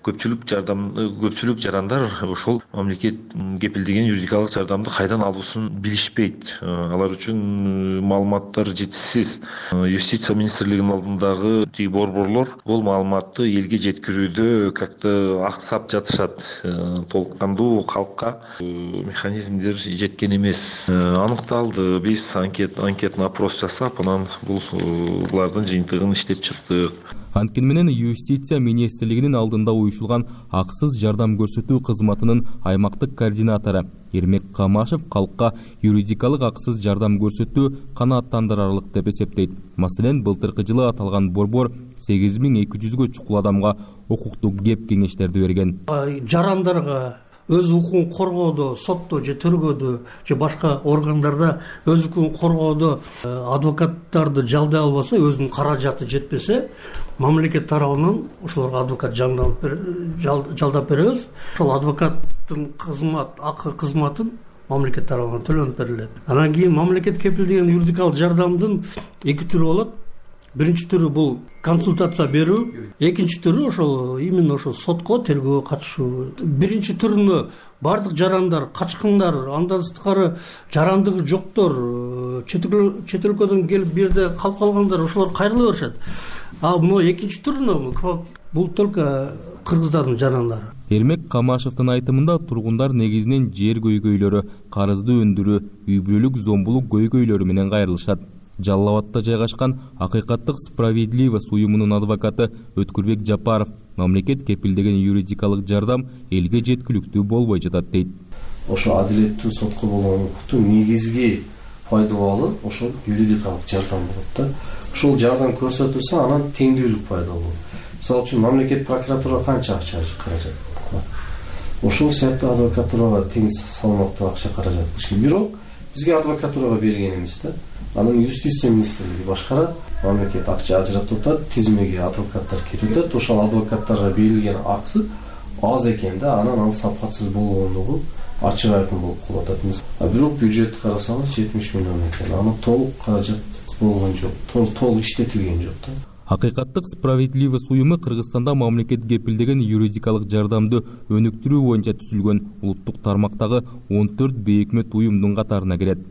Көпчүлүк жардам көпчүлүк жарандар ошол мамлекет кепилдеген юридикалык жардамды кайдан алуусун билишпейт. Алар үчүн маалыматтар жетишсиз. Юстиция министрлигинин алдындагы тиги борборлор бул маалыматты элге жеткирүүдө как-то аксап жатышат. Толук кандуу калкка механизмдер жеткен эмес. Аныкталды. Биз анкет анкетный опрос жасап, анан бул булардын жыйынтыгын иштеп чыктык. Анткени менен Юстиция министрлигинин алдында уюшулган акысыз жардам көрсөтүү кызматынын аймактык координатору Эрмек Камашев калкка юридикалык акысыз жардам көрсөтүү канааттандырарлык деп эсептейт. Маселен, былтыркы жылы аталган борбор сегиз миң эки жүзгө чукул адамга укуктук кеп кеңештерди берген. Жарандарга өз укугун коргоодо, сотто же төргөдө же башка органдарда өз укугун коргоодо адвокаттарды жалдай албаса, өзүнүн каражаты жетпесе, мамлекет тарабынан ошолорго адвокат жалдап беребиз. Ошол адвокаттын кызмат акы кызматын мамлекет тарабынан төлөнүп берилет. Анан кийин мамлекет кепилдеген юридикалык жардамдын эки түрү болот. Биринчи түрү бул консультация берүү, экинчи түрү ошол именно ошол сотко, тергөөгө катышуу. Биринчи түрүнө бардык жарандар, качкындар, андан сырткары жарандыгы жоктор, чет өлкөдөн келип бир жерде калып калгандар, ошолор кайрыла беришет. А мына экинчи түрүнө бул только кыргыздардын жарандары. Эрмек Камашевдин айтымында тургундар негизинен жер көйгөйлөрү, карызды өндүрүү, үй бүлөлүк зомбулук көйгөйлөрү менен кайрылышат. Жалал Абадта жайгашкан Акыйкаттык справедливость уюмунун адвокаты Өткүрбек Жапаров мамлекет кепилдеген юридикалык жардам элге жеткиликтүү болбой жатат дейт. Ошо адилеттүү сотко болгон укуктун негизги пайдалуу ошол юридикалык жардам болот да. Ошол жардам көрсөтүлсө, анан теңдүүлүк пайда болот. Мисалы үчүн мамлекет прокуратурага канча акча каражат кылат? Ошол сыяктуу адвокатурага тең салмактуу акча каражат кылыш керек. Бирок бизге адвокатурага берген эмес да. Анын Юстиция министрлиги башкарат, мамлекет акча ажыратып атат, тизмеге адвокаттар кирип атат. Ошол адвокаттарга берилген акы аз экен да, анан ал сапатсыз болгондугу ачык айкын болуп калып атат. А бирок бюджетти карасаңыз жетимиш миллион экен. Аны толук каражат болгон жок, толук иштетилген жок да. Акыйкаттык справедливость уюму Кыргызстанда мамлекет кепилдеген юридикалык жардамды өнүктүрүү боюнча түзүлгөн улуттук тармактагы он төрт бейөкмөт уюмдун катарына кирет.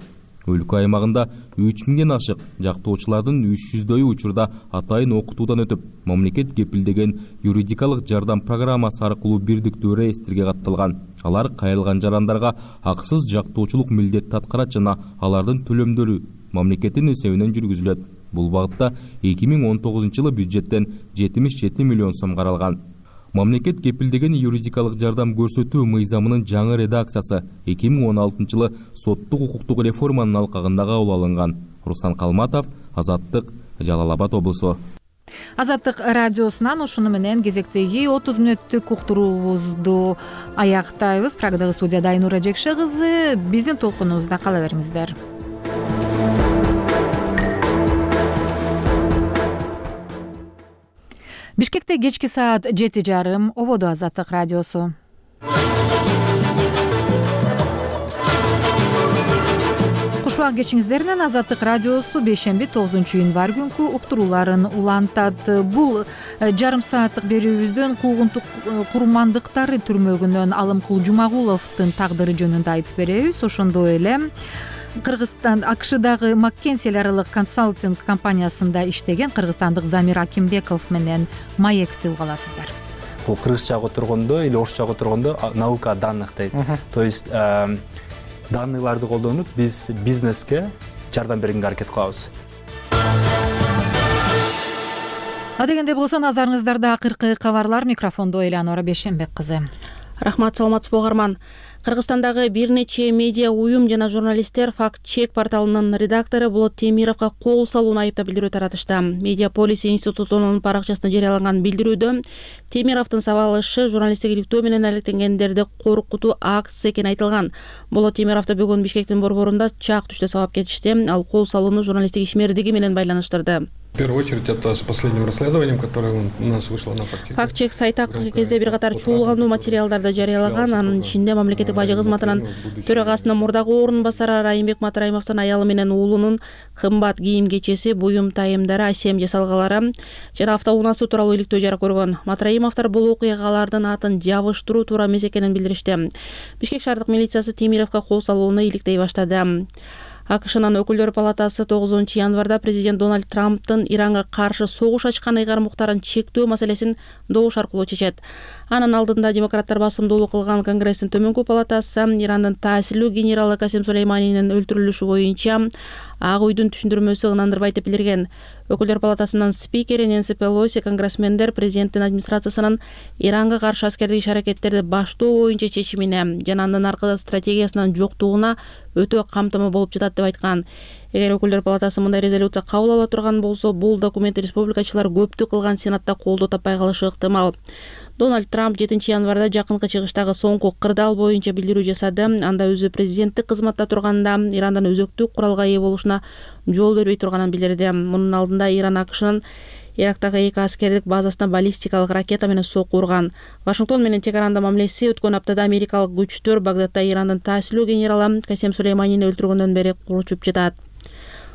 Өлкө аймагында үч миңден ашык жактоочулардын үч жүздөйү учурда атайын окутуудан өтүп, мамлекет кепилдеген юридикалык жардам программасы аркылуу бирдиктүү реестрге катталган. Алар кайрылган жарандарга акысыз жактоочулук милдетти аткарат жана алардын төлөмдөрү мамлекеттин эсебинен жүргүзүлөт. Бул багытта эки миң он тогузунчу жылы бюджеттен жетимиш жети миллион сом каралган. Мамлекет кепилдеген юридикалык жардам көрсөтүү мыйзамынын жаңы редакциясы эки миң он алтынчы жылы соттук укуктук реформанын алкагында кабыл алынган. Руслан Калматов, Азаттык, Жалал Абад облусу. Азаттык радиосунан ушуну менен кезектеги отуз мүнөттүк уктуруубузду аяктайбыз. Прагадагы студияда Айнура Жекше кызы. Биздин толкунубузда кала бериңиздер. Бишкекте кечки саат жети жарым. Ободо Азаттык радиосу. Кушубак кечиңиздер менен Азаттык радиосу бейшемби тогузунчу январь күнкү уктурууларын улантат. Бул жарым сааттык берүүбүздөн куугунтук курмандыктары түрмөгүнөн Алымкул Жумагуловдун тагдыры жөнүндө айтып беребиз. Ошондой эле Кыргызстан АКШдагы Маккензи эл аралык консалтинг компаниясында иштеген кыргызстандык Замир Акимбеков менен маекти уга аласыздар. Бул кыргызчага отургондо или орусчага отургондо наука данных дейт. То есть данныйларды колдонуп биз бизнеске жардам бергенге аракет кылабыз. Адегенде болсо назарыңыздарда акыркы кабарлар. Микрофондо Элеонора Бейшембек кызы. Рахмат, саламатсызбы угарман. Кыргызстандагы бир нече медиа уюм жана журналисттер Факт Чек порталынын редактору Болот Темировго кол салууну айыптап билдирүү таратышты. Медиаполис институтунун паракчасында жарыяланган билдирүүдө Темировдун сабалышы журналисттик иликтөө менен алектенгендерди коркутуу акция экени айтылган. Болот Темировду бүгүн Бишкектин борборунда чак түштө сабап кетишти. Ал кол салууну журналисттик ишмердиги менен байланыштырды. В первую очередь это с последним расследованием, которое у нас вышло на Факт Чек. Факт Чек сайты акыркы кезде бир катар чуулгандуу материалдарды жарыялаган. Анын ичинде мамлекеттик бажы кызматынын төрагасынын мурдагы орун басары Райымбек Матраимовдун аялы менен уулунун кымбат кийим кечеси, буюм тайымдары, асем жасалгалары жана автоунаасы тууралуу иликтөө жарык көргөн. Матраимовдор бул окуялардын атын жабыштыруу туура эмес экенин билдиришти. Бишкек шаардык милициясы Темировго кол салууну иликтей баштады. АКШнын өкүлдөр палатасы тогузунчу январда президент Дональд Трамптын Иранга каршы согуш ачкан ыйгарым-уктарын чектөө маселесин добуш аркылуу чечет. Анын алдында демократтар басымдуулук кылган Конгресстин төмөнкү палатасы Ирандын таасирлүү генералы Касем Сулейманинин өлтүрүлүшү боюнча Ак үйдүн түшүндүрмөсү ынандырбайт деп билдирген. Өкүлдөр палатасынын спикери Нэнси Пелоси конгрессмендер президенттин администрациясынын Иранга каршы аскердик иш-аракеттерди баштоо боюнча чечимине жана андан аркы стратегиясынын жоктугуна өтө камтыма болуп жатат деп айткан. Эгер өкүлдөр палатасы мындай резолюция кабыл ала турган болсо, бул документти республикачылар көптүк кылган Сенатта колдоо таппай калышы ыктымал. Дональд Трамп жетинчи январда жакынкы чыгыштагы соңку кырдаал боюнча билдирүү жасады. Анда өзү президенттик кызматта турганда Ирандан өзөктүк куралга ээ болушуна жол бербей турганын билдирди. Мунун алдында Иран АКШнын Ирактагы эки аскердик базасына баллистикалык ракета менен сокку урган. Вашингтон менен чек аранда мамилеси өткөн аптада америкалык күчтөр Багдадда Ирандын таасирлүү генералы Касем Сулейманини өлтүргөндөн бери куручуп жатат.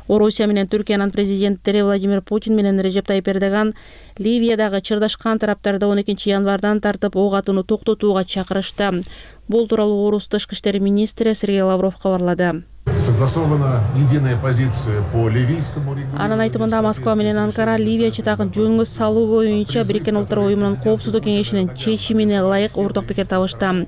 Орусия менен Түркиянын президенттери Владимир Путин менен Режеп Тайип Эрдоган Ливиядагы чырдашкан тараптарды он экинчи январдан тартып ок атууну токтотууга чакырышты. Бул тууралуу Орус тышкы иштер министри Сергей Лавров кабарлады. Согласована единая позиция по ливийскому региону. Анын айтымында Москва менен Анкара Ливия чатагын жөнгө салуу боюнча Бириккен Улуттар уюмунун коопсуздук кеңешинин чечимине ылайык орток пикир табышты.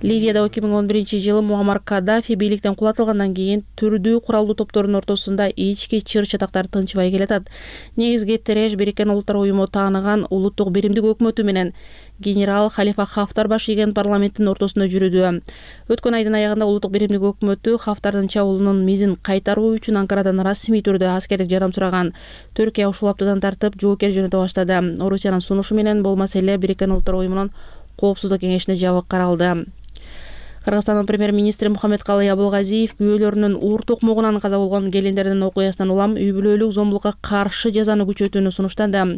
Ливияда эки миң он биринчи жылы Муаммар Каддафи бийликтен кулатылгандан кийин түрдүү куралдуу топтордун ортосунда ички чыр-чатактар тынчыбай келатат. Негизги тереш Бириккен Улуттар уюму тааныган улуттук биримдик өкмөтү менен генерал Халифа Хафтар баш ийген парламенттин ортосунда жүрүүдө. Өткөн айдын аягында улуттук биримдик өкмөтү Хафтардын чабуулунун мизин кайтаруу үчүн Анкарадан расмий түрдө аскердик жардам сураган. Түркия ушул аптадан тартып жоокер жөнөтө баштады. Орусиянын сунушу менен бул маселе Бириккен Улуттар уюмунун коопсуздук кеңешине жабык каралды. Кыргызстандын премьер-министри Мухаммедкалый Абылгазиев күйөөлөрүнүн ур токмогунан каза болгон келиндердин окуясынан улам үй бүлөлүк зомбулукка каршы жазаны күчөтүүнү сунуштады.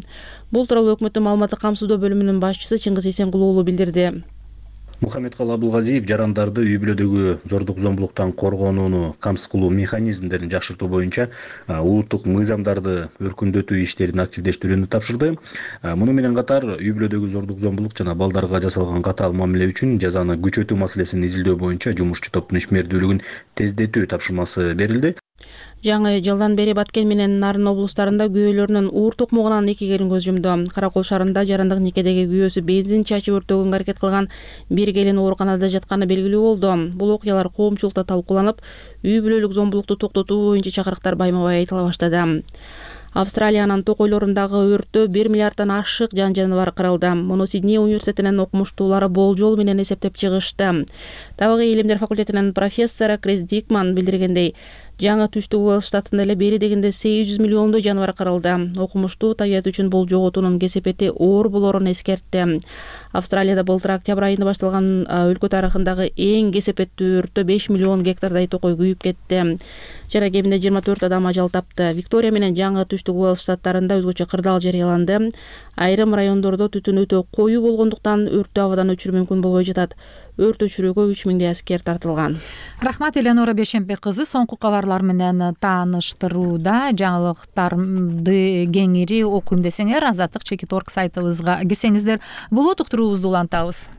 Бул тууралуу өкмөттүн маалыматтык камсыздоо бөлүмүнүн башчысы Чыңгыз Эсенгул уулу билдирди. Мухаммедкалый Абылгазиев жарандарды үй бүлөдөгү зордук зомбулуктан коргонууну камсыз кылуу механизмдерин жакшыртуу боюнча улуттук мыйзамдарды өркүндөтүү иштерин активдештирүүнү тапшырды. Муну менен катар үй бүлөдөгү зордук зомбулук жана балдарга жасалган катаал мамиле үчүн жазаны күчөтүү маселесин изилдөө боюнча жумушчу топтун ишмердүүлүгүн тездетүү тапшырмасы берилди. Жаңы жылдан бери Баткен менен Нарын облустарында күйөөлөрүнүн уур токмогунан эки келин көз жумду. Каракол шаарында жарандык никедеги күйөөсү бензин чачып өртөгөнгө аракет кылган бир келин ооруканада жатканы белгилүү болду. Бул окуялар коомчулукта талкууланып, үй бүлөлүк зомбулукту токтотуу боюнча чакырыктар байма-бай айтыла баштады. Австралиянын токойлорундагы өрттө бир миллиарддан ашык жан жаныбар кырылды. Муну Сидней университетинин окумуштуулары болжол менен эсептеп чыгышты. Табигый илимдер факультетинин профессору Крис Дикман билдиргендей, жаңы түштүк Уэльс штатында эле бери дегенде сегиз жүз миллиондой жаныбар кырылды. Окумуштуу табият үчүн бул жоготуунун кесепети оор болоорун эскертти. Австралияда былтыр октябрь айында башталган өлкө тарыхындагы эң кесепеттүү өрттө беш миллион гектардай токой күйүп кетти. Жана кеминде жыйырма төрт адам ажал тапты. Виктория менен жаңы түштүк Уэльс штаттарында өзгөчө кырдаал жарыяланды. Айрым райондордо түтүн өтө коюу болгондуктан өрттү абадан өчүрүү мүмкүн болбой жатат. Өрт өчүрүүгө үч миңдей аскер тартылган. Рахмат, Элеонора Бешембек кызы. Соңку кабарлар менен тааныштырууда жаңылыктарды кеңири окуйм десеңер, Азаттык чекит точка орг сайтыбызга кирсеңиздер болот. Уктуруубузду улантабыз.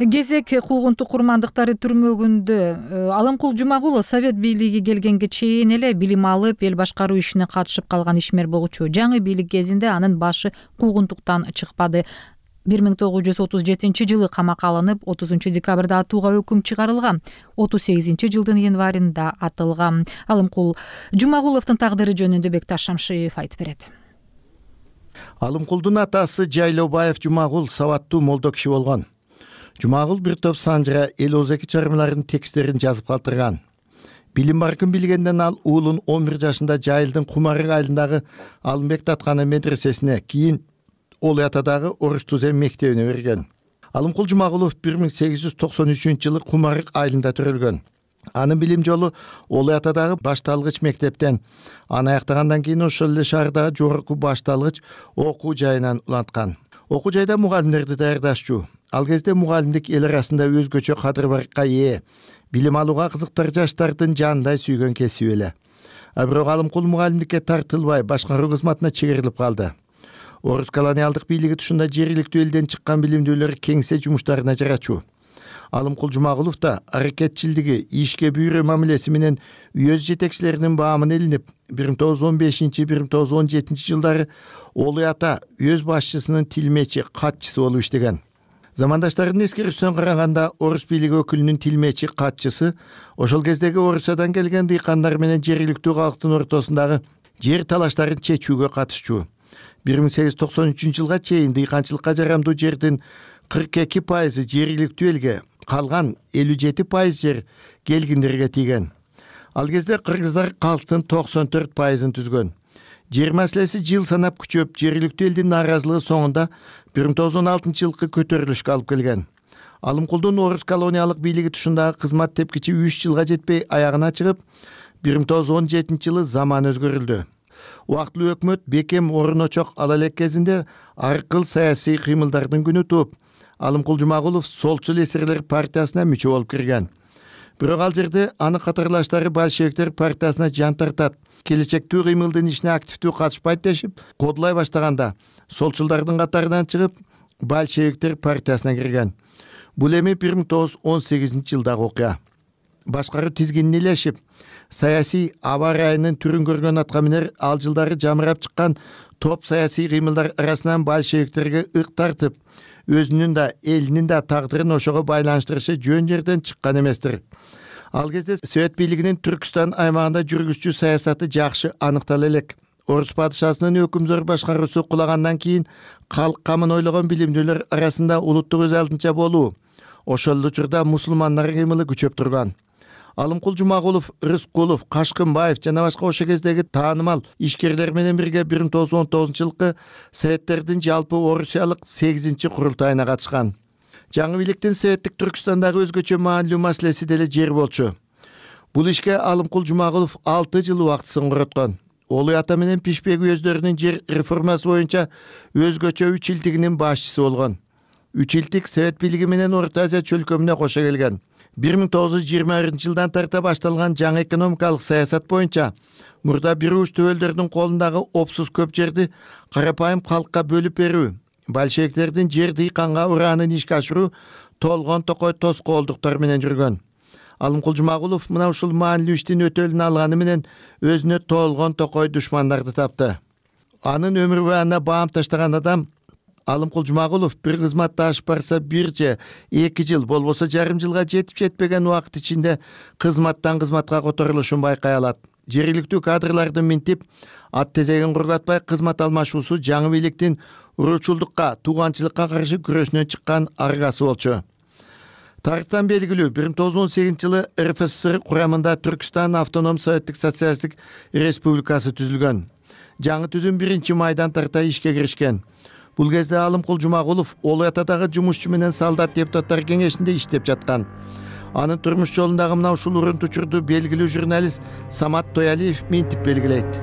Кезек куугунтук курмандыктары түрмөгүндө Алымкул Жумагулов Совет бийлиги келгенге чейин эле билим алып, эл башкаруу ишине катышып калган ишмер болчу. Жаңы бийлик кезинде анын башы куугунтуктан чыкпады. бир миң тогуз жүз отуз жетинчи жылы камакка алынып, отузунчу декабрда атууга өкүм чыгарылган. отуз сегизинчи жылдын январында атылган. Алымкул Жумагуловдун тагдыры жөнүндө Бекташ Шамшиев айтып берет. Алымкулдун атасы Жайлообаев Жумагул сабаттуу молдо киши болгон. Жумагул бир топ санжыра эл озеки чыгармаларынын тексттерин жазып калтырган. Билим баркын билгенден ал уулун он бир жашында Жайылдын Кумарык айылындагы Алымбек Татканы медресесине, кийин Олой атадагы Орус Тузем мектебине берген. Алымкул Жумагулов бир миң сегиз жүз токсон үчүнчү жылы Кумарык айылында төрөлгөн. Анын билим жолу Олой атадагы башталгыч мектептен, аны аяктагандан кийин ошол эле шаардагы жогорку башталгыч окуу жайынан уланткан. Окуу жайда мугалимдерди даярдашчу. Ал кезде мугалимдик эл арасында өзгөчө кадыр-баракка ээ, билим алууга кызыктар жаштардын жандай сүйгөн кесиби эле. А бирок Алымкул мугалимдикке тартылбай, башкаруу кызматына чегерилип калды. Орус колониалдык бийлиги тушунда жергиликтүү элден чыккан билимдүүлөр кеңсе жумуштарына жарачу. Алымкул Жумагулов да аракетчилдиги, ишке бүйрө мамилеси менен үйөз жетекчилеринин баамына илинип, бир миң тогуз жүз он бешинчи бир миң тогуз жүз он жетинчи жылдары Олой ата өз башчысынын тилмечи, катчысы болуп иштеген. Замандаштарынын эскерүүсүнөн караганда Орус бийлиги өкүлүнүн тилмечи, катчысы ошол кездеги Орусиядан келген дыйкандар менен жергиликтүү калктын ортосундагы жер талаштарын чечүүгө катышчу. бир миң сегиз жүз токсон үчүнчү жылга чейин дыйканчылыкка жарамдуу жердин кырк эки пайызы жергиликтүү элге, калган элүү жети пайыз жер келгиндерге тийген. Ал кезде кыргыздар калктын токсон төрт пайызын түзгөн. Жер маселеси жыл санап күчөп, жергиликтүү элдин нааразылыгы соңунда бир миң тогуз жүз он алтынчы жылкы көтөрүлүшкө алып келген. Алымкулдун Орус колониялык бийлиги тушундагы кызмат тепкичи үч жылга жетпей аягына чыгып, бир миң тогуз жүз он жетинчи жылы заман өзгөрүлдү. Убактылуу өкмөт бекем орун очок ала элек кезинде ар кыл саясий кыймылдардын күнү тууп, Алымкул Жумагулов Солчул эсерлер партиясына мүчө болуп кирген. Бирок ал жерде аны катарлаштары большевиктер партиясына жан тартат, келечектүү кыймылдын ишине активдүү катышпайт дешип, кодулай баштаганда солчулдардын катарынан чыгып, большевиктер партиясына кирген. Бул эми бир миң тогуз жүз он сегизинчи жылдагы окуя. Башкаруу тизгинин илешип, саясий аба ырайынын түрүн көргөн аткаминер ал жылдары жамырап чыккан топ саясий кыймылдар арасынан большевиктерге ык тартып, өзүнүн да элинин да тагдырын ошого байланыштырышы жөн жерден чыккан эместир. Ал кезде Совет бийлигинин Түркүстан аймагында жүргүзчү саясаты жакшы аныктала элек. Орус падышасынын өкүмзөр башкаруусу кулагандан кийин калк камын ойлогон билимдүүлөр арасында улуттук өз алдынча болуу, ошол эле учурда мусулмандар кыймылы күчөп турган. Алымкул Жумагулов, Рыскулов, Кашкынбаев жана башка ошол кездеги таанымал ишкерлер менен бирге бир миң тогуз жүз он тогузунчу жылкы Советтердин жалпы Орусиялык сегизинчи курултайына катышкан. Жаңы бийликтин Советтик Түркүстандагы өзгөчө маанилүү маселеси деле жер болчу. Бул ишке Алымкул Жумагулов алты жыл убактысын короткон. Олой ата менен Пишпек уездөрүнүн жер реформасы боюнча өзгөчө үч илтигинин башчысы болгон. Үч илтик Совет бийлиги менен Орто Азия чөлкөмүнө кошо келген. бир миң тогуз жүз жыйырма биринчи жылдан тарта башталган жаңы экономикалык саясат боюнча мурда бир уч төбөлдөрдүн колундагы опсуз көп жерди карапайым калкка бөлүп берүү, большевиктердин жер дыйканга ураанын ишке ашыруу толгон токой тоскоолдуктар менен жүргөн. Алымкул Жумагулов мына ушул маанилүү иштин өтөлүн алганы менен өзүнө толгон токой душмандарды тапты. Анын өмүр баанына баам таштаган адам Алымкул Жумагулов бир кызматты ашып барса бир же эки жыл болбосо жарым жылга жетип жетпеген убакыт ичинде кызматтан кызматка которулушун байкай алат. Жергиликтүү кадрларды минтип, ат тезегин кургатпай кызмат алмашуусу жаңы бийликтин уруучулдукка, тууганчылыкка каршы күрөшүнөн чыккан аргасы болчу. Тарыхтан белгилүү бир миң тогуз жүз он сегизинчи жылы эр эф эс эс эр курамында Түркстан автоном советтик социалисттик республикасы түзүлгөн. Жаңы түзүм биринчи майдан тарта ишке киришкен. Бул кезде Алымкул Жумагулов Олу Атадагы жумушчу менен солдат депутаттар кеңешинде иштеп жаткан. Анын турмуш жолундагы мына ушул урунту учурду белгилүү журналист Самат Тоялиев минтип белгилейт.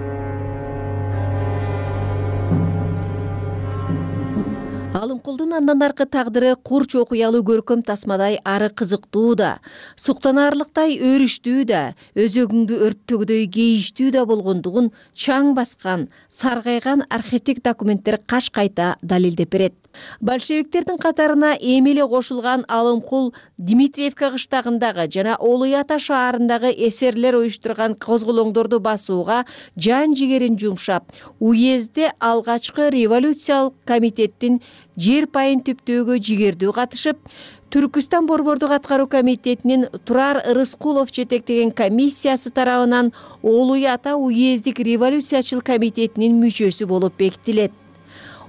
Алымкулдун андан аркы тагдыры курч окуялуу көркөм тасмадай ары кызыктуу да, суктанаарлыктай өрүштүү да, өзөгүңдү өрттөгдөй кейиштүү да болгондугун чаң баскан, саргайган архивдик документтер каш кайта далилдеп берет. Большевиктердин катарына эми эле кошулган Алымкул Дмитриевка кыштагындагы жана Олу Ата шаарындагы эсерлер уюштурган козголоңдорду басууга жан жигерин жумшап, уездде алгачкы революциялык комитеттин жер пайын түптөөгө жигердүү катышып, Түркүстан борбордук аткаруу комитетинин Турар Рыскулов жетектеген комиссиясы тарабынан Олу Ата уездик революциячыл комитетинин мүчөсү болуп бекитилет.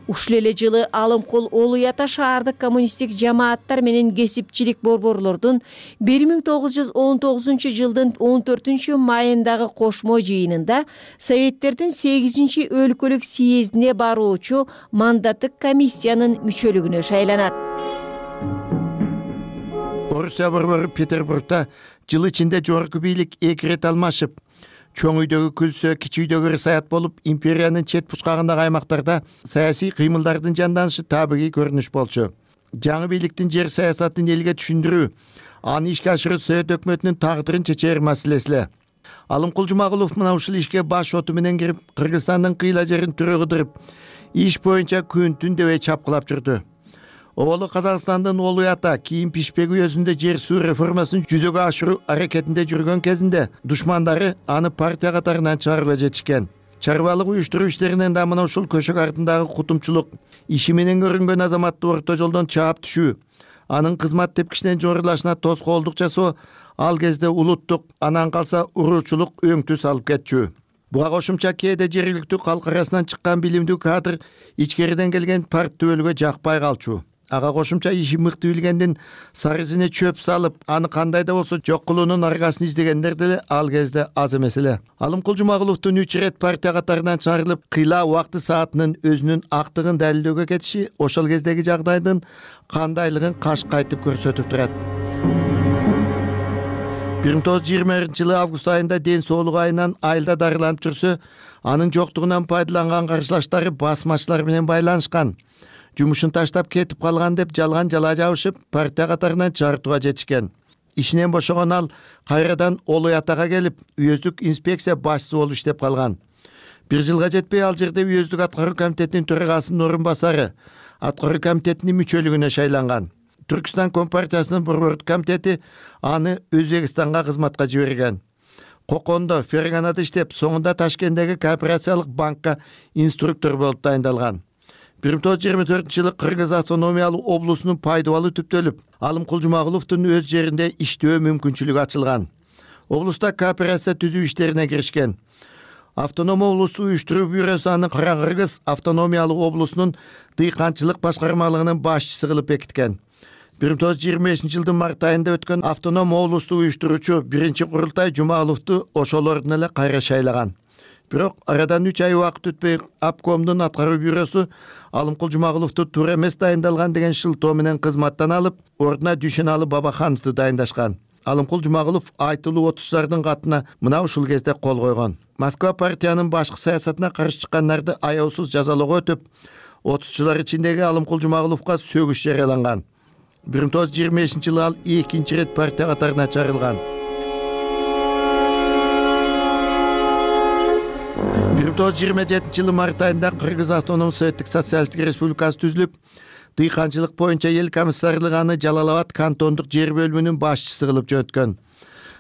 Ушул эле жылы Алымкул Олу Ата шаардык коммунисттик жамааттар менен кесипчилик борборлордун бир миң тогуз жүз он тогузунчу жылдын он төртүнчү майындагы кошмо жыйынында Советтердин сегизинчи өлкөлүк съездине баруучу мандаттык комиссиянын мүчөлүгүнө шайланат. Орусия борбору Петербургда жыл ичинде жогорку бийлик эки ирет алмашып, чоң үйдөгү күлсө, кичи үйдөгү рысаят болуп, империянын чет бучкагындагы аймактарда саясий кыймылдардын жанданышы табигый көрүнүш болчу. Жаңы бийликтин жер саясатын элге түшүндүрүү, аны ишке ашыруу Совет өкмөтүнүн тагдырын чечер маселеси эле. Алымкул Жумагулов мына ушул ишке баш оту менен кирип, Кыргызстандын кыйла жерин түрө кыдырып, иш боюнча күн-түн дебей чапкылап жүрдү. Оболу Казакстандын Олу Ата кийин Пишпек уездинде жер суу реформасын жүзөгө ашыруу аракетинде жүргөн кезинде душмандары аны партия катарынан чыгарууга жетишкен. Чарбалык уюштуруу иштеринен да мына ушул көшөк артындагы кутумчулук, иши менен көрүнгөн азаматты орто жолдон чаап түшүү, анын кызмат тепкичинен жорулашына тоскоолдук жасоо, ал кезде улуттук, анан калса уруучулук өңтү салып кетчү. Буга кошумча кээде жергиликтүү калк арасынан чыккан билимдүү кадр ичкериден келген парт төбөлгө жакпай калчу. Ага кошумча иши мыкты билгендин сарызине чөп салып, аны кандай да болсо жок кылуунун аргасын издегендер деле ал кезде аз эмес эле. Алымкул Жумагуловдун үч ирет партия катарынан чыгарылып, кыйла убакты саатынын өзүнүн актыгын далилдөөгө кетиши ошол кездеги жагдайдын кандайлыгын каш кайтып көрсөтүп турат. бир миң тогуз жүз жыйырма биринчи жылы август айында ден соолугу айынан айылда дарыланып жүрсө, анын жоктугунан пайдаланган каршылаштары басмачылар менен байланышкан. Жумушун таштап кетип калган деп жалган жала жабышып, партия катарынан чыгартууга жетишкен. Ишинен бошогон ал кайрадан Олу Атага келип, уездик инспекция башчысы болуп иштеп калган. Бир жылга жетпей ал жерде уездик аткаруу комитетинин төрагасынын орун басары, аткаруу комитетинин мүчөлүгүнө шайланган. Түркстан компартиясынын борбордук комитети аны Өзбекстанга кызматка жиберген. Кокондо, Ферганада иштеп, соңунда Ташкенттеги кооперациялык банкка инструктор болуп дайындалган. бир миң тогуз жүз жыйырма төртүнчү жылы Кыргыз автономиялуу облусунун пайдубалы түптөлүп, Алымкул Жумагуловдун өз жеринде иштөө мүмкүнчүлүгү ачылган. Облуста кооперация түзүү иштерине киришкен. Автоном облусту уюштуруу бюросу аны Кара Кыргыз автономиялуу облусунун дыйканчылык башкармалыгынын башчысы кылып бекиткен. бир миң тогуз жүз жыйырма бешинчи жылдын март айында өткөн автоном облусту уюштуруучу биринчи курултай Жумагуловду ошол ордун эле кайра шайлаган. Бирок арадан үч ай убакыт өтпөй обкомдун аткаруу бюросу Алымкул Жумагуловду туура эмес дайындалган деген шылтоо менен кызматтан алып, ордуна Дүйшөналы Бабахановду дайындашкан. Алымкул Жумагулов айтылуу отузчулардын катына мына ушул кезде кол койгон. Москва партиянын башкы саясатына каршы чыккандарды аяусуз жазалоого өтүп, отузчулар ичиндеги Алымкул Жумагуловго сөгүш жарыяланган. бир миң тогуз жүз жыйырма бешинчи жылы ал экинчи ирет партия катарына чыгарылган. бир миң тогуз жүз жыйырма жетинчи жылы март айында Кыргыз автономдук советтик социалисттик республикасы түзүлүп, дыйканчылык боюнча эл комиссарлыгы аны Жалал Абад кантондук жер бөлүмүнүн башчысы кылып жөнөткөн.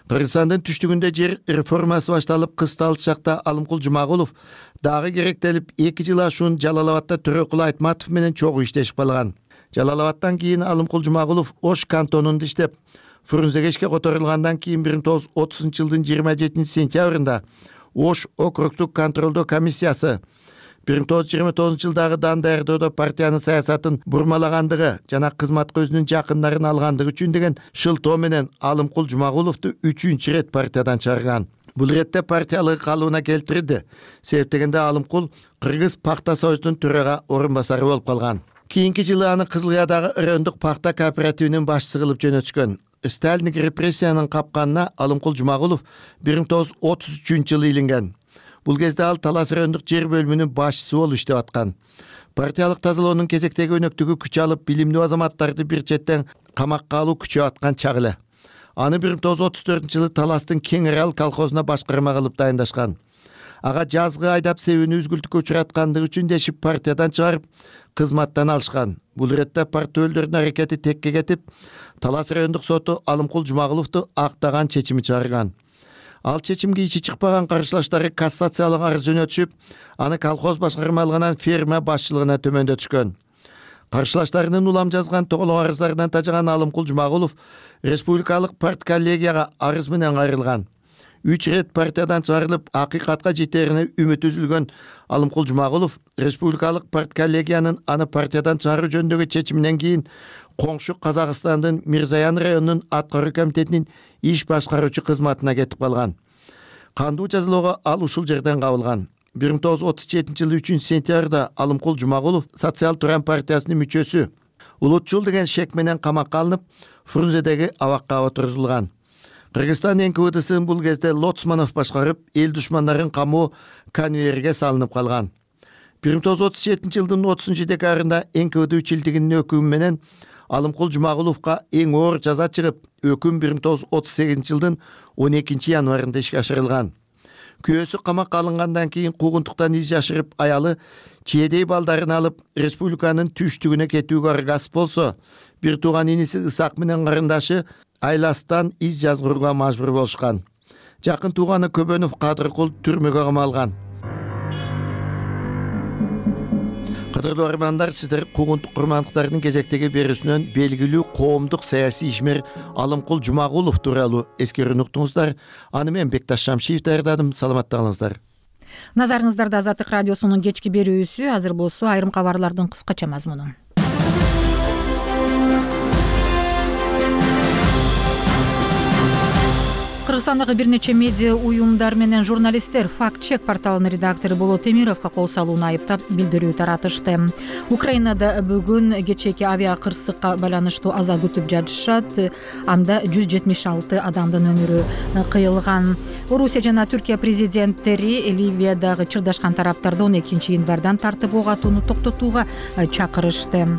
Кыргызстандын түштүгүндө жер реформасы башталып, кысталык шакта Алымкул Жумагулов дагы керектелип, эки жыл ашуун Жалал Абадда Төрөкул Айтматов менен чогуу иштешип калган. Жалал Абадтан кийин Алымкул Жумагулов Ош кантонунда иштеп, Фрунзеге ишке которулгандан кийин бир миң тогуз жүз отузунчу жылдын жыйырма жетинчи сентябрында Ош округдук контролдоо комиссиясы бир миң тогуз жүз жыйырма тогузунчу жылдагы дан даярдоодо партиянын саясатын бурмалагандыгы жана кызматка өзүнүн жакындарын алгандыгы үчүн деген шылтоо менен Алымкул Жумагуловду үчүнчү ирет партиядан чыгарган. Бул иретте партиялыгы калыбына келтирди. Себеп дегенде Алымкул Кыргыз пахта союзунун төрага орун басары болуп калган. Кийинки жылы аны Кызылыядагы райондук пахта кооперативинин башчысы кылып жөнөтүшкөн. Сталиндик репрессиянын капканына Алымкул Жумагулов бир миң тогуз жүз отуз үчүнчү жылы илинген. Бул кезде ал Талас райондук жер бөлүмүнүн башчысы болуп иштеп аткан. Партиялык тазалоонун кезектеги өнөктүгү күч алып, билимдүү азаматтарды бир четтен камакка алуу күчөп аткан чак эле. Аны бир миң тогуз жүз отуз төртүнчү жылы Таластын Кең Арал колхозуна башкарма кылып дайындашкан. Ага жазгы айдап себүүнү үзгүлтүккө учураткандыгы үчүн дешип партиядан чыгарып, кызматтан алышкан. Бул иретте партиялардын аракети текке кетип, Талас райондук соту Алымкул Жумагуловду актаган чечими чыгарган. Ал чечимге ичи чыкпаган каршылаштары кассациялык арыз жөнөтүшүп, аны колхоз башкармалыгынан ферма башчылыгына төмөндөтүшкөн. Каршылаштарынын улам жазган тоголок арыздарынан тажаган Алымкул Жумагулов республикалык партколлегияга арыз менен кайрылган. Үч ирет партиядан чыгарылып, акыйкатка жетерине үмүт үзүлгөн Алымкул Жумагулов республикалык партколлегиянын аны партиядан чыгаруу жөнүндөгү чечиминен кийин коңшу Казакстандын Мирзаян районунун аткаруу комитетинин иш башкаруучу кызматына кетип калган. Кандуу жазалоого ал ушул жерден кабылган. бир миң тогуз жүз отуз жетинчи жылы үчүнчү сентябрда Алымкул Жумагулов Социал Туран партиясынын мүчөсү Улутчул деген шек менен камакка алынып, Фрунзедеги абакка отургузулган. Кыргызстан эн ка вэ дэсин бул кезде Лоцманов башкарып, эл душмандарын камоо конвейерге салынып калган. бир миң тогуз жүз отуз жетинчи жылдын отузунчу декабрында эн ка вэ дэ үчүлдүгүнүн өкүмү менен Алымкул Жумагуловго эң оор жаза чыгып, өкүм бир миң тогуз жүз отуз сегизинчи жылдын он экинчи январында ишке ашырылган. Күйөөсү камакка алынгандан кийин куугунтуктан из жашырып, аялы чиедей балдарын алып, республиканын түштүгүнө кетүүгө аргасыз болсо, бир тууган иниси Ысак менен карындашы Айластан из жазгырууга мажбур болушкан. Жакын тууганы Көбөнов Кадыркул түрмөгө камалган. Кадырлуу армандар, сиздер куугунтук курмандыктардын кезектеги берүүсүнөн белгилүү коомдук саясий ишмер Алымкул Жумагулов тууралуу эскерүүнү уктуңуздар. Аны мен Бекташ Шамшиев даярдадым. Саламаттыгыңыздар. Назарыңыздарда Азаттык радиосунун кечки берүүсү. Азыр болсо айрым кабарлардын кыскача мазмуну. Кыргызстандагы бир нече медиа уюмдар менен журналисттер факт-чек порталынын редактору Болот Эмировго кол салууну айыптап билдирүү таратышты. Украинада бүгүн кечээки авиа кырсыкка байланыштуу аза күтүп жатышат. Анда жүз жетимиш алты адамдын өмүрү кыйылган. Орусия жана Түркия президенттери Ливиядагы чырдашкан тараптарды он экинчи январдан тартып ок атууну токтотууга чакырышты.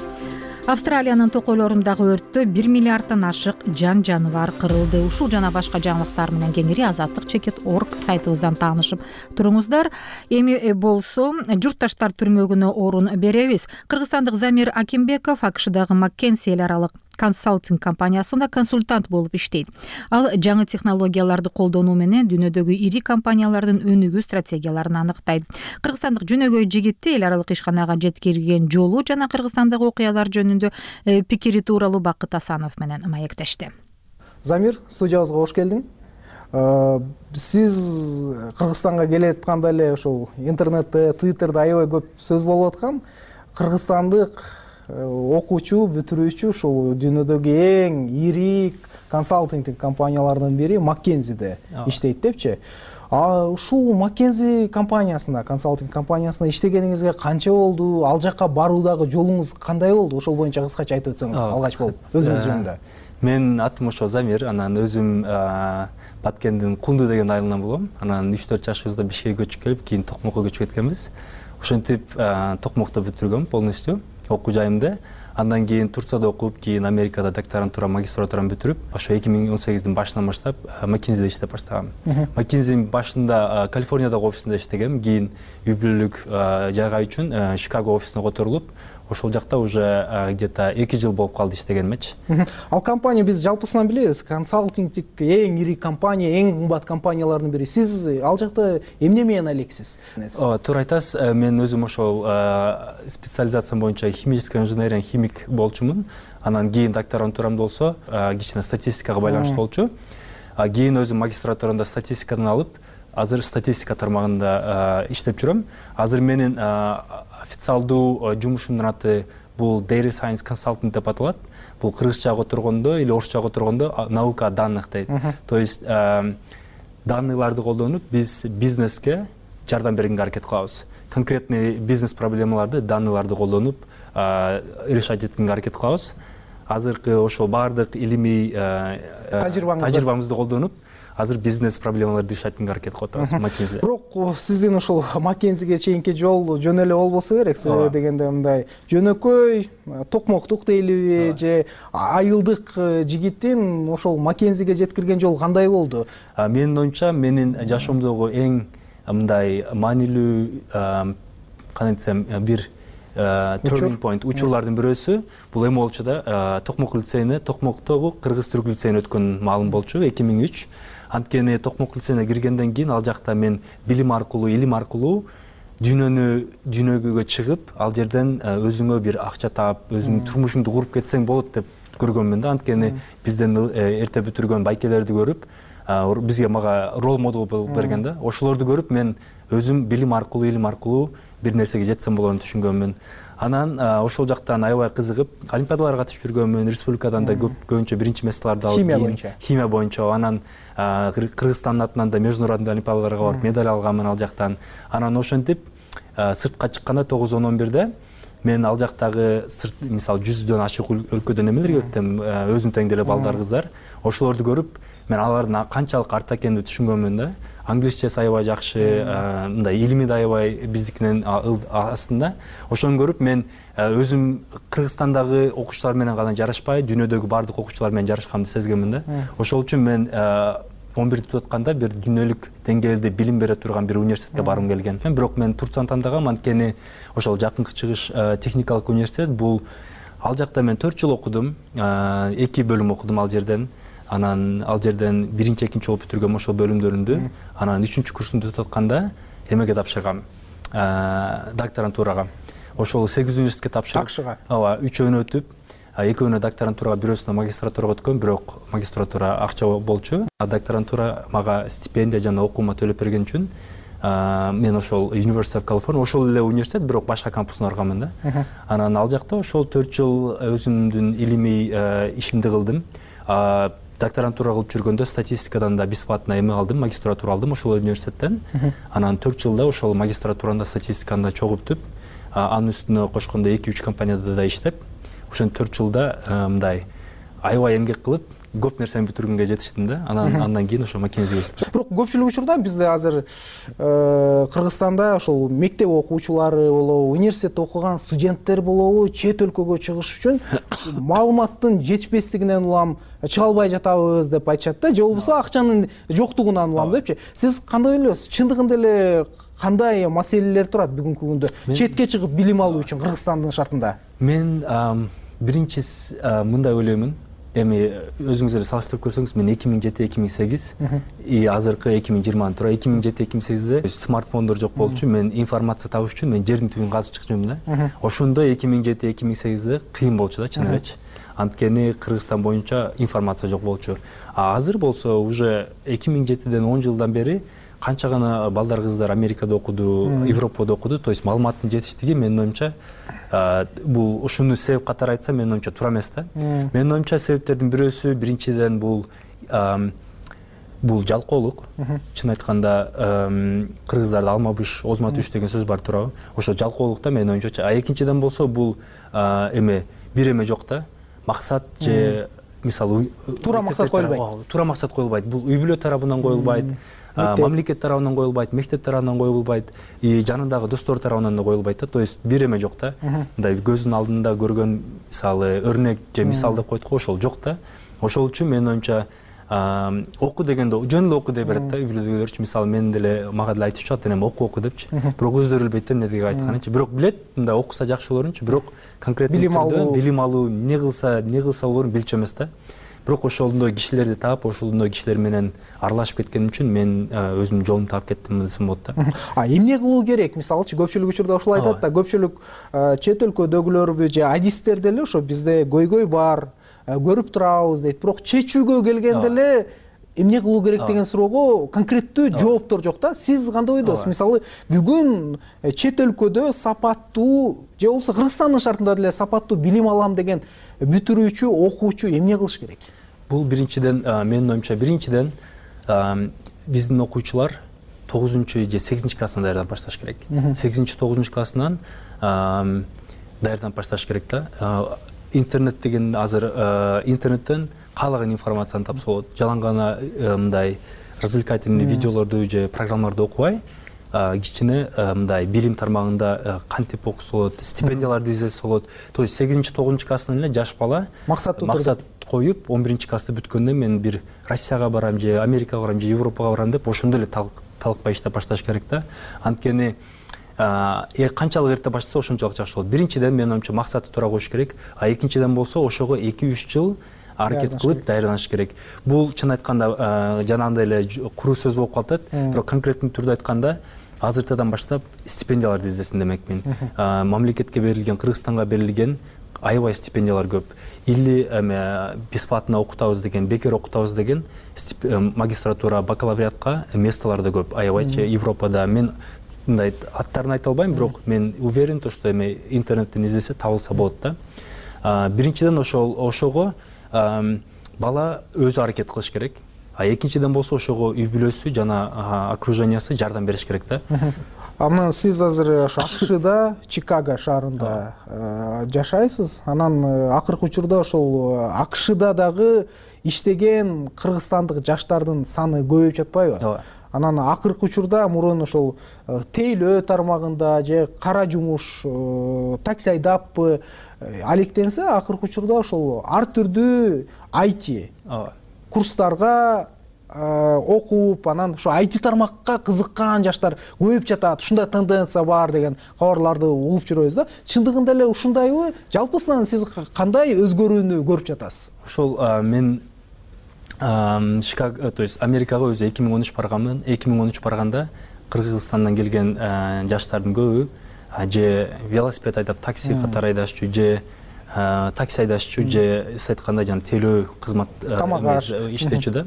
Австралиянын токойлорундагы өрттө бир миллиарддан ашык жан жаныбар кырылды. Ушул жана башка жаңылыктар менен кеңири азаттык чекит точка орг сайтыбыздан таанышып туруңуздар. Эми болсо журтташтар түрмөгүнө орун беребиз. Кыргызстандык Замир Акимбеков А К Шдагы Маккенси эл аралык консалтинг компаниясында консультант болуп иштейт. Ал жаңы технологияларды колдонуу менен дүйнөдөгү ири компаниялардын өнүгүү стратегияларын аныктайт. Кыргызстандык жөнөгөй жигитти эл аралык ишканага жеткирген жолу жана Кыргызстандагы окуялар жөнүндө пикири тууралуу Бакыт Асанов менен маектешти. Замир, студиябызга кош келдиң. Сиз Кыргызстанга келе атканда эле ошол интернетте, Твиттерде аябай көп сөз болуп аткан. Кыргызстандык окуучу, бүтүрүүчү ушул дүйнөдөгү эң ири консалтингтик компаниялардын бири Маккензиде иштейт депчи. А ушул Маккензи компаниясында, консалтинг компаниясында иштегениңизге канча болду? Ал жакка баруудагы жолуңуз кандай болду? Ошол боюнча кыскача айтып өтсөңүз алгач болуп, өзүңүз жөнүндө. Мен атым ошо Замир, анан өзүм Баткендин Кунду деген айылынан болом. Анан үч төрт жашыбызда Бишкекке көчүп келип, кийин Токмокко көчүп кеткенбиз. Ошентип Токмокто бүтүргөм полностью окуу жайымды. андан кийин Турцияда окуп, кийин Америкада докторантура, магистратураны бүтүрүп, ошо эки миң он сегиздин башынан баштап Маккензиде иштеп баштагам. Маккензинин башында Калифорниядагы офисинде иштегем, кийин үй бүлөлүк жайга үчүн Чикаго офисине которулуп, ошол жакта уже где-то эки жыл болуп калды иштегениметчи. Ал компания биз жалпысынан билебиз, консалтингтик эң ири компания, эң кымбат компаниялардын бири. Сиз ал жакта эмне менен алексиз? Ооба, туура айтасыз. Мен өзүм ошол специализациям боюнча химическая инженерия, химик болчумун. Анан кийин докторантурам болсо, кичине статистикага байланыштуу болчу. Кийин өзүм магистратурада статистикадан алып, азыр статистика тармагында иштеп жүрөм. Азыр менин официалдуу жумушумдун аты бул Data Science Consultant деп аталат. Бул кыргызчага отургондо или орусчага отургондо наука о данных дейт. То есть данныйларды колдонуп биз бизнеске жардам бергенге аракет кылабыз. Конкретный бизнес проблемаларды данныйларды колдонуп решать эткенге аракет кылабыз. Азыркы ошол баардык илимий тажрыйбамызды колдонуп азыр бизнес проблемаларды решать эткенге аракет кылып атабыз Маккензиде. Бирок сиздин ошол Маккензиге чейинки жол жөн эле болбосо керек, себеби дегенде мындай жөнөкөй токмоктук дейлиби же айылдык жигиттин ошол Маккензиге жеткирген жол кандай болду? Менин оюмча, менин жашоомдогу эң мындай маанилүү, кандай десем, бир turning point учурлардын бирөөсү бул эми болчу да, Токмок лицейине, Токмоктогу кыргыз-түрк лицейине өткөн маалым болчу эки миң үч. Анткени Токмок лицейине киргенден кийин ал жакта мен билим аркылуу, илим аркылуу дүйнөнү дүйнөгөгө чыгып, ал жерден өзүңө бир акча таап, өзүңдүн турмушуңду куруп кетсең болот деп көргөнмүн да. Анткени бизден эрте бүтүргөн байкелерди көрүп, бизге мага рол модел болуп берген да. Ошолорду көрүп мен өзүм билим аркылуу, илим аркылуу бир нерсеге жетсем болоорун түшүнгөнмүн. Анан ошол жактан аябай кызыгып, олимпиадаларга катышып жүргөнмүн, республикадан да көбүнчө биринчи месталарды алып, химия боюнча. Химия боюнча. Анан Кыргызстандын атынан да международный олимпиадаларга барып медаль алганмын ал жактан. Анан ошентип сыртка чыкканда тогуз он он бирде мен ал жактагы сырт, мисалы жүздөн ашык өлкөдөн эмелерге өттүм, өзүм тең деле балдар, кыздар. Ошолорду көрүп, мен алардын канчалык артта экенин түшүнгөнмүн да. Англисчеси аябай жакшы, мындай илими да аябай биздикинен астында. Ошону көрүп мен өзүм Кыргызстандагы окуучулар менен гана жарашпай, дүйнөдөгү баардык окуучулар менен жарашканымды сезгенмин да. Ошол үчүн мен он бирди бүтүп атканда бир дүйнөлүк деңгээлде билим бере турган бир университетке баргым келген. Бирок мен Турцияны тандагам, анткени ошол жакынкы чыгыш техникалык университет бул, ал жакта мен төрт жыл окудум, эки бөлүм окудум ал жерден. Анан ал жерден биринчи, экинчи болуп бүтүргөм ошол бөлүмдөрүмдү. Анан үчүнчү курсумду бүтүп атканда эмеге тапшыргам, докторантурага. Ошол сегиз университетке тапшырып, Акшыга. Ооба, үчөөнү өтүп, экөөнү докторантурага, бирөөсүнө магистратурага өткөм, бирок магистратура акча болчу. А докторантура мага стипендия жана окуума төлөп берген үчүн мен ошол University of California, ошол эле университет, бирок башка кампусуна барганмын да. Анан ал жакта ошол төрт жыл өзүмдүн илимий ишимди кылдым. Докторантура кылып жүргөндө статистикадан да бесплатно эме алдым, магистратура алдым ошол университеттен. Анан төрт жылда ошол магистратуранда статистиканы да чогултуп, анын үстүнө кошкондо эки үч компанияда да иштеп, ошон төрт жылда мындай аябай эмгек кылып, көп нерсени бүтүргөнгө жетиштим да. Анан андан кийин ошо Маккензиге иштеп. Бирок көпчүлүк учурда бизде азыр Кыргызстанда ошол мектеп окуучулары болобу, университетте окуган студенттер болобу, чет өлкөгө чыгыш үчүн маалыматтын жетишпестигинен улам чыга албай жатабыз деп айтышат да, же болбосо акчанын жоктугунан улам депчи. Сиз кандай ойлойсуз? Чындыгында эле кандай маселелер турат бүгүнкү күндө четке чыгып билим алуу үчүн Кыргызстандын шартында? Мен биринчи мындай ойлоймун. Эми өзүңүз эле салыштырып көрсөңүз, мен эки миң жети эки миң сегиз и азыркы эки миң жыйырма туура эки миң жети эки миң сегизде смартфондор жок болчу. Мен информация табыш үчүн мен жердин түбүн казып чыкчумун да. Ошондо эки миң жети эки миң сегизде кыйын болчу да, чын элечи. Анткени Кыргызстан боюнча информация жок болчу. А азыр болсо уже эки миң жетиден он жылдан бери канча гана балдар, кыздар Америкада окуду, Европада окуду. То есть маалыматтын жетиштиги менин оюмча бул ушуну себеп катары айтсам, менин оюмча туура эмес да. Менин оюмча себептердин бирөөсү, биринчиден бул бул жалкоолук. Чын айтканда кыргыздарда алма быш, озма түш деген сөз бар, туурабы? Ошо жалкоолукта менин оюмча. А экинчиден болсо бул эме бир эме жок да. Максат же мисалы туура максат коюлбайт. Туура максат коюлбайт. Бул үй бүлө тарабынан коюлбайт. мамлекет тарабынан коюлбайт, мектеп тарабынан коюлбайт, и жанындагы достор тарабынан да коюлбайт да. То есть бир эме жок да. Мындай көздүн алдында көргөн мисалы өрнөк же мисал деп койдук, ошол жок да. Ошол үчүн менин оюмча окуу дегенде жөн эле окуу дей берет да. Үй бүлөдөгүлөрчү мисалы мен деле мага деле айтып чыгат, энем окуу окуу депчи. Бирок өздөрү билбейт да эмнедеги айтканынчы. Бирок билет, мындай окуса жакшы болорунчу, бирок конкреттүү түрдө билим алуу, эмне кылса, эмне кылса болорун билчү эмес да. Бирок ошондой кишилерди таап, ошондой кишилер менен аралашып кеткеним үчүн мен өзүмдүн жолумду таап кеттим десем болот да. А эмне кылуу керек? Мисалычы көпчүлүк учурда ушул айтат да, көпчүлүк чет өлкөдөгүлөрбү же адистер деле ошо бизде көйгөй бар, көрүп турабыз дейт. Бирок чечүүгө келгенде эле эмне кылуу керек деген суроого конкреттүү жооптор жок да. Сиз кандай ойдосуз? Мисалы бүгүн чет өлкөдө сапаттуу же болбосо Кыргызстандын шартында деле сапаттуу билим алам деген бүтүрүүчү, окуучу эмне кылыш керек? Бул биринчиден, менин оюмча биринчиден биздин окуучулар тогузунчу же сегизинчи класстан даярданып башташ керек. сегизинчи тогузунчу классынан даярданып башташ керек да. Интернет деген азыр интернеттен каалаган информацияны тапса болот. Жалаң гана мындай развлекательный видеолорду же программаларды окубай, кичине мындай билим тармагында кантип окуса болот, стипендияларды издесе болот. То есть сегизинчи тогузунчу класстан эле жаш бала максат коюп, он биринчи классты бүткөндө мен бир Россияга барам же Америкага барам же Европага барам деп ошондой эле талыкпай иштеп башташ керек да. Анткени канчалык эрте баштаса ошончолук жакшы болот. Биринчиден менин оюмча максаты туура коюш керек, а экинчиден болсо ошого эки үч жыл аракет кылып даярданыш керек. Бул чын айтканда жанагындай эле куру сөз болуп калат, бирок конкреттүү түрдө айтканда азыртадан баштап стипендияларды издесин демекмин. Мамлекетке берилген, Кыргызстанга берилген аябай стипендиялар көп. Или эме бесплатно окутабыз деген, бекер окутабыз деген магистратура, бакалавриатка местолор да көп. Аябайчы Европада мен мындай аттарын айта албайм, бирок мен уверен то, что эме интернеттен издесе табылса болот да. Биринчиден ошол ошого бала өзү аракет кылыш керек. А экинчиден болсо ошого үй бүлөсү жана окружениясы жардам бериш керек да. Анан сиз азыр ошо АКШда, Чикаго шаарында жашайсыз. Анан акыркы учурда ошол АКШда дагы иштеген кыргызстандык жаштардын саны көбөйүп жатпайбы? Анан акыркы учурда мурун ошол тейлөө тармагында же кара жумуш, такси айдаппы алектенсе, акыркы учурда ошол ар түрдүү ай ти курстарга окуп, анан ошо ай ти тармакка кызыккан жаштар көбөйүп жатат. Ушундай тенденция бар деген кабарларды угуп жүрөбүз да. Чындыгында эле ушундайбы? Жалпысынан сиз кандай өзгөрүүнү көрүп жатасыз? Ошол мен Чикаго, то есть Америкага өзү эки миң он үч барганмын. эки миң он үч барганда Кыргызстандан келген жаштардын көбү же велосипед айдап такси катары айдашчу, же такси айдашчу, же сиз айткандай жана тейлөө кызмат иштечү да.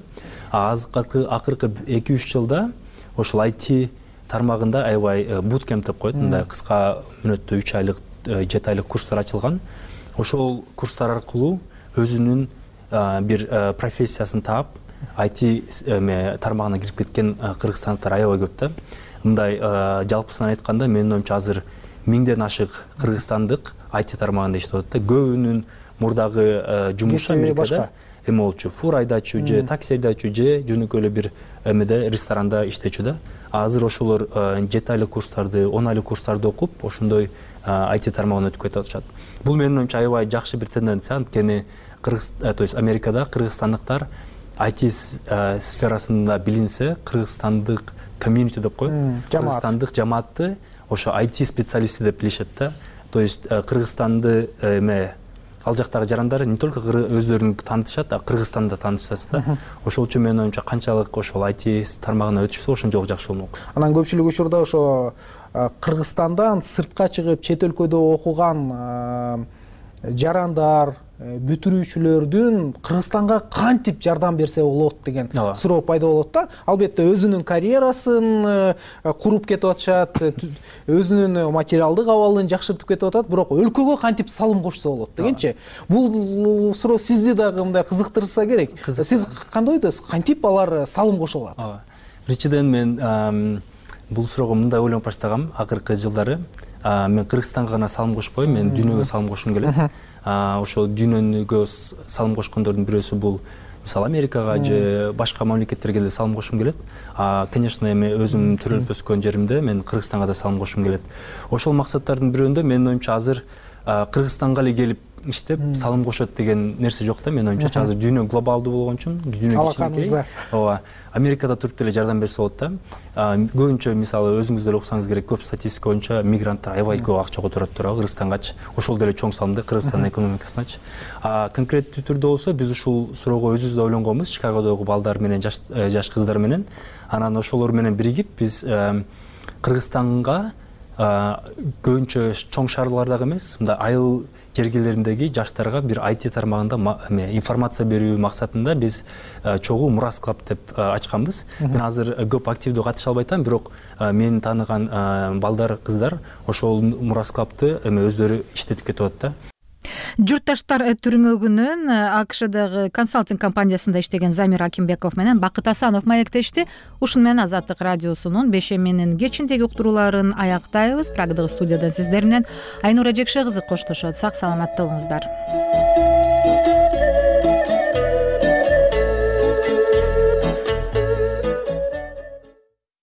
Акыркы эки үч жылда ошол ай ти тармагында аябай буткемп деп коет, мындай кыска мүнөттүү үч айлык, жети айлык курстар ачылган. Ошол курстар аркылуу өзүнүн бир профессиясын таап, ай ти тармагына кирип кеткен кыргызстандыктар аябай көп да. Мындай жалпысынан айтканда менин оюмча азыр миңден ашык кыргызстандык ай ти тармагында иштеп атат да. Көбүнүн мурдагы жумушу Америкада эме болчу, фур айдачу же такси айдачу же жөнөкөй эле бир эмеде ресторанда иштечү да. Азыр ошолор жети айлык курстарды, он айлык курстарды окуп, ошондой ай ти тармагына өтүп кетип атышат. Бул менин оюмча аябай жакшы бир тенденция, анткени Кыргыз, то есть Америкада кыргызстандыктар ай ти сферасында билинсе, кыргызстандык комьюнити деп коет, кыргызстандык жамаатты ошо ай ти специалисти деп билишет да. То есть Кыргызстанды эме ал жактагы жарандар не только өздөрүн таанытышат, а Кыргызстанды да таанытышат да. Ошол үчүн менин оюмча канчалык ошол ай ти тармагына өтүшсө ошончолук жакшы болмок. Анан көпчүлүк учурда ошо Кыргызстандан сыртка чыгып чет өлкөдө окуган жарандар, бүтүрүүчүлөрдүн Кыргызстанга кантип жардам берсе болот деген суроо пайда болот да. Албетте өзүнүн карьерасын куруп кетип атышат, өзүнүн материалдык абалын жакшыртып кетип атат, бирок өлкөгө кантип салым кошсо болот дегенчи. Бул суроо сизди дагы мындай кызыктырса керек. Сиз кандай ойдосуз? Кантип алар салым кошо алат? Биринчиден мен бул суроого мындай ойлонуп баштагам акыркы жылдары. Мен Кыргызстанга гана салым кошпойм, мен дүйнөгө салым кошкум келет. Ошол дүйнөгө салым кошкондордун бирөөсү бул мисалы Америкага же башка мамлекеттерге деле салым кошкум келет. Конечно, эми өзүм төрөлүп өскөн жеримде мен Кыргызстанга да салым кошкум келет. Ошол максаттардын бирөөндө менин оюмча азыр Кыргызстанга эле келип иштеп салым кошот деген нерсе жок да. Менин оюмча азыр дүйнө глобалдуу болгон үчүн, дүйнө кичинекей. Ооба, Америкада туруп деле жардам берсе болот да. Көбүнчө мисалы өзүңүз деле уксаңыз керек, көп статистика боюнча мигранттар аябай көп акча которот турат Кыргызстангачы. Ошол деле чоң салымды Кыргызстандын экономикасыначы. Конкреттүү түрдө болсо биз ушул суроого өзүбүз да ойлонгонбуз, Чикагодогу балдар менен, жаш жаш кыздар менен. Анан ошолор менен биригип биз Кыргызстанга көбүнчө чоң шаарлардагы эмес, мындай айыл жергелериндеги жаштарга бир ай ти тармагында информация берүү максатында биз чогуу Мурас клуб деп ачканбыз. Мен азыр көп активдүү катыша албай атам, бирок мени тааныган балдар, кыздар ошол Мурас клубду эми өздөрү иштетип кетип атат да. Журтташтар түрмөгүнүн АКШдагы консалтинг компаниясында иштеген Замир Акимбеков менен Бакыт Асанов маектешти. Ушун менен Азаттык радиосунун бешеминин кечиндеги уктурууларын аяктайбыз. Прагдагы студияда сиздер менен Айнура Жекше кызы коштошот. Сак саламатта болуңуздар.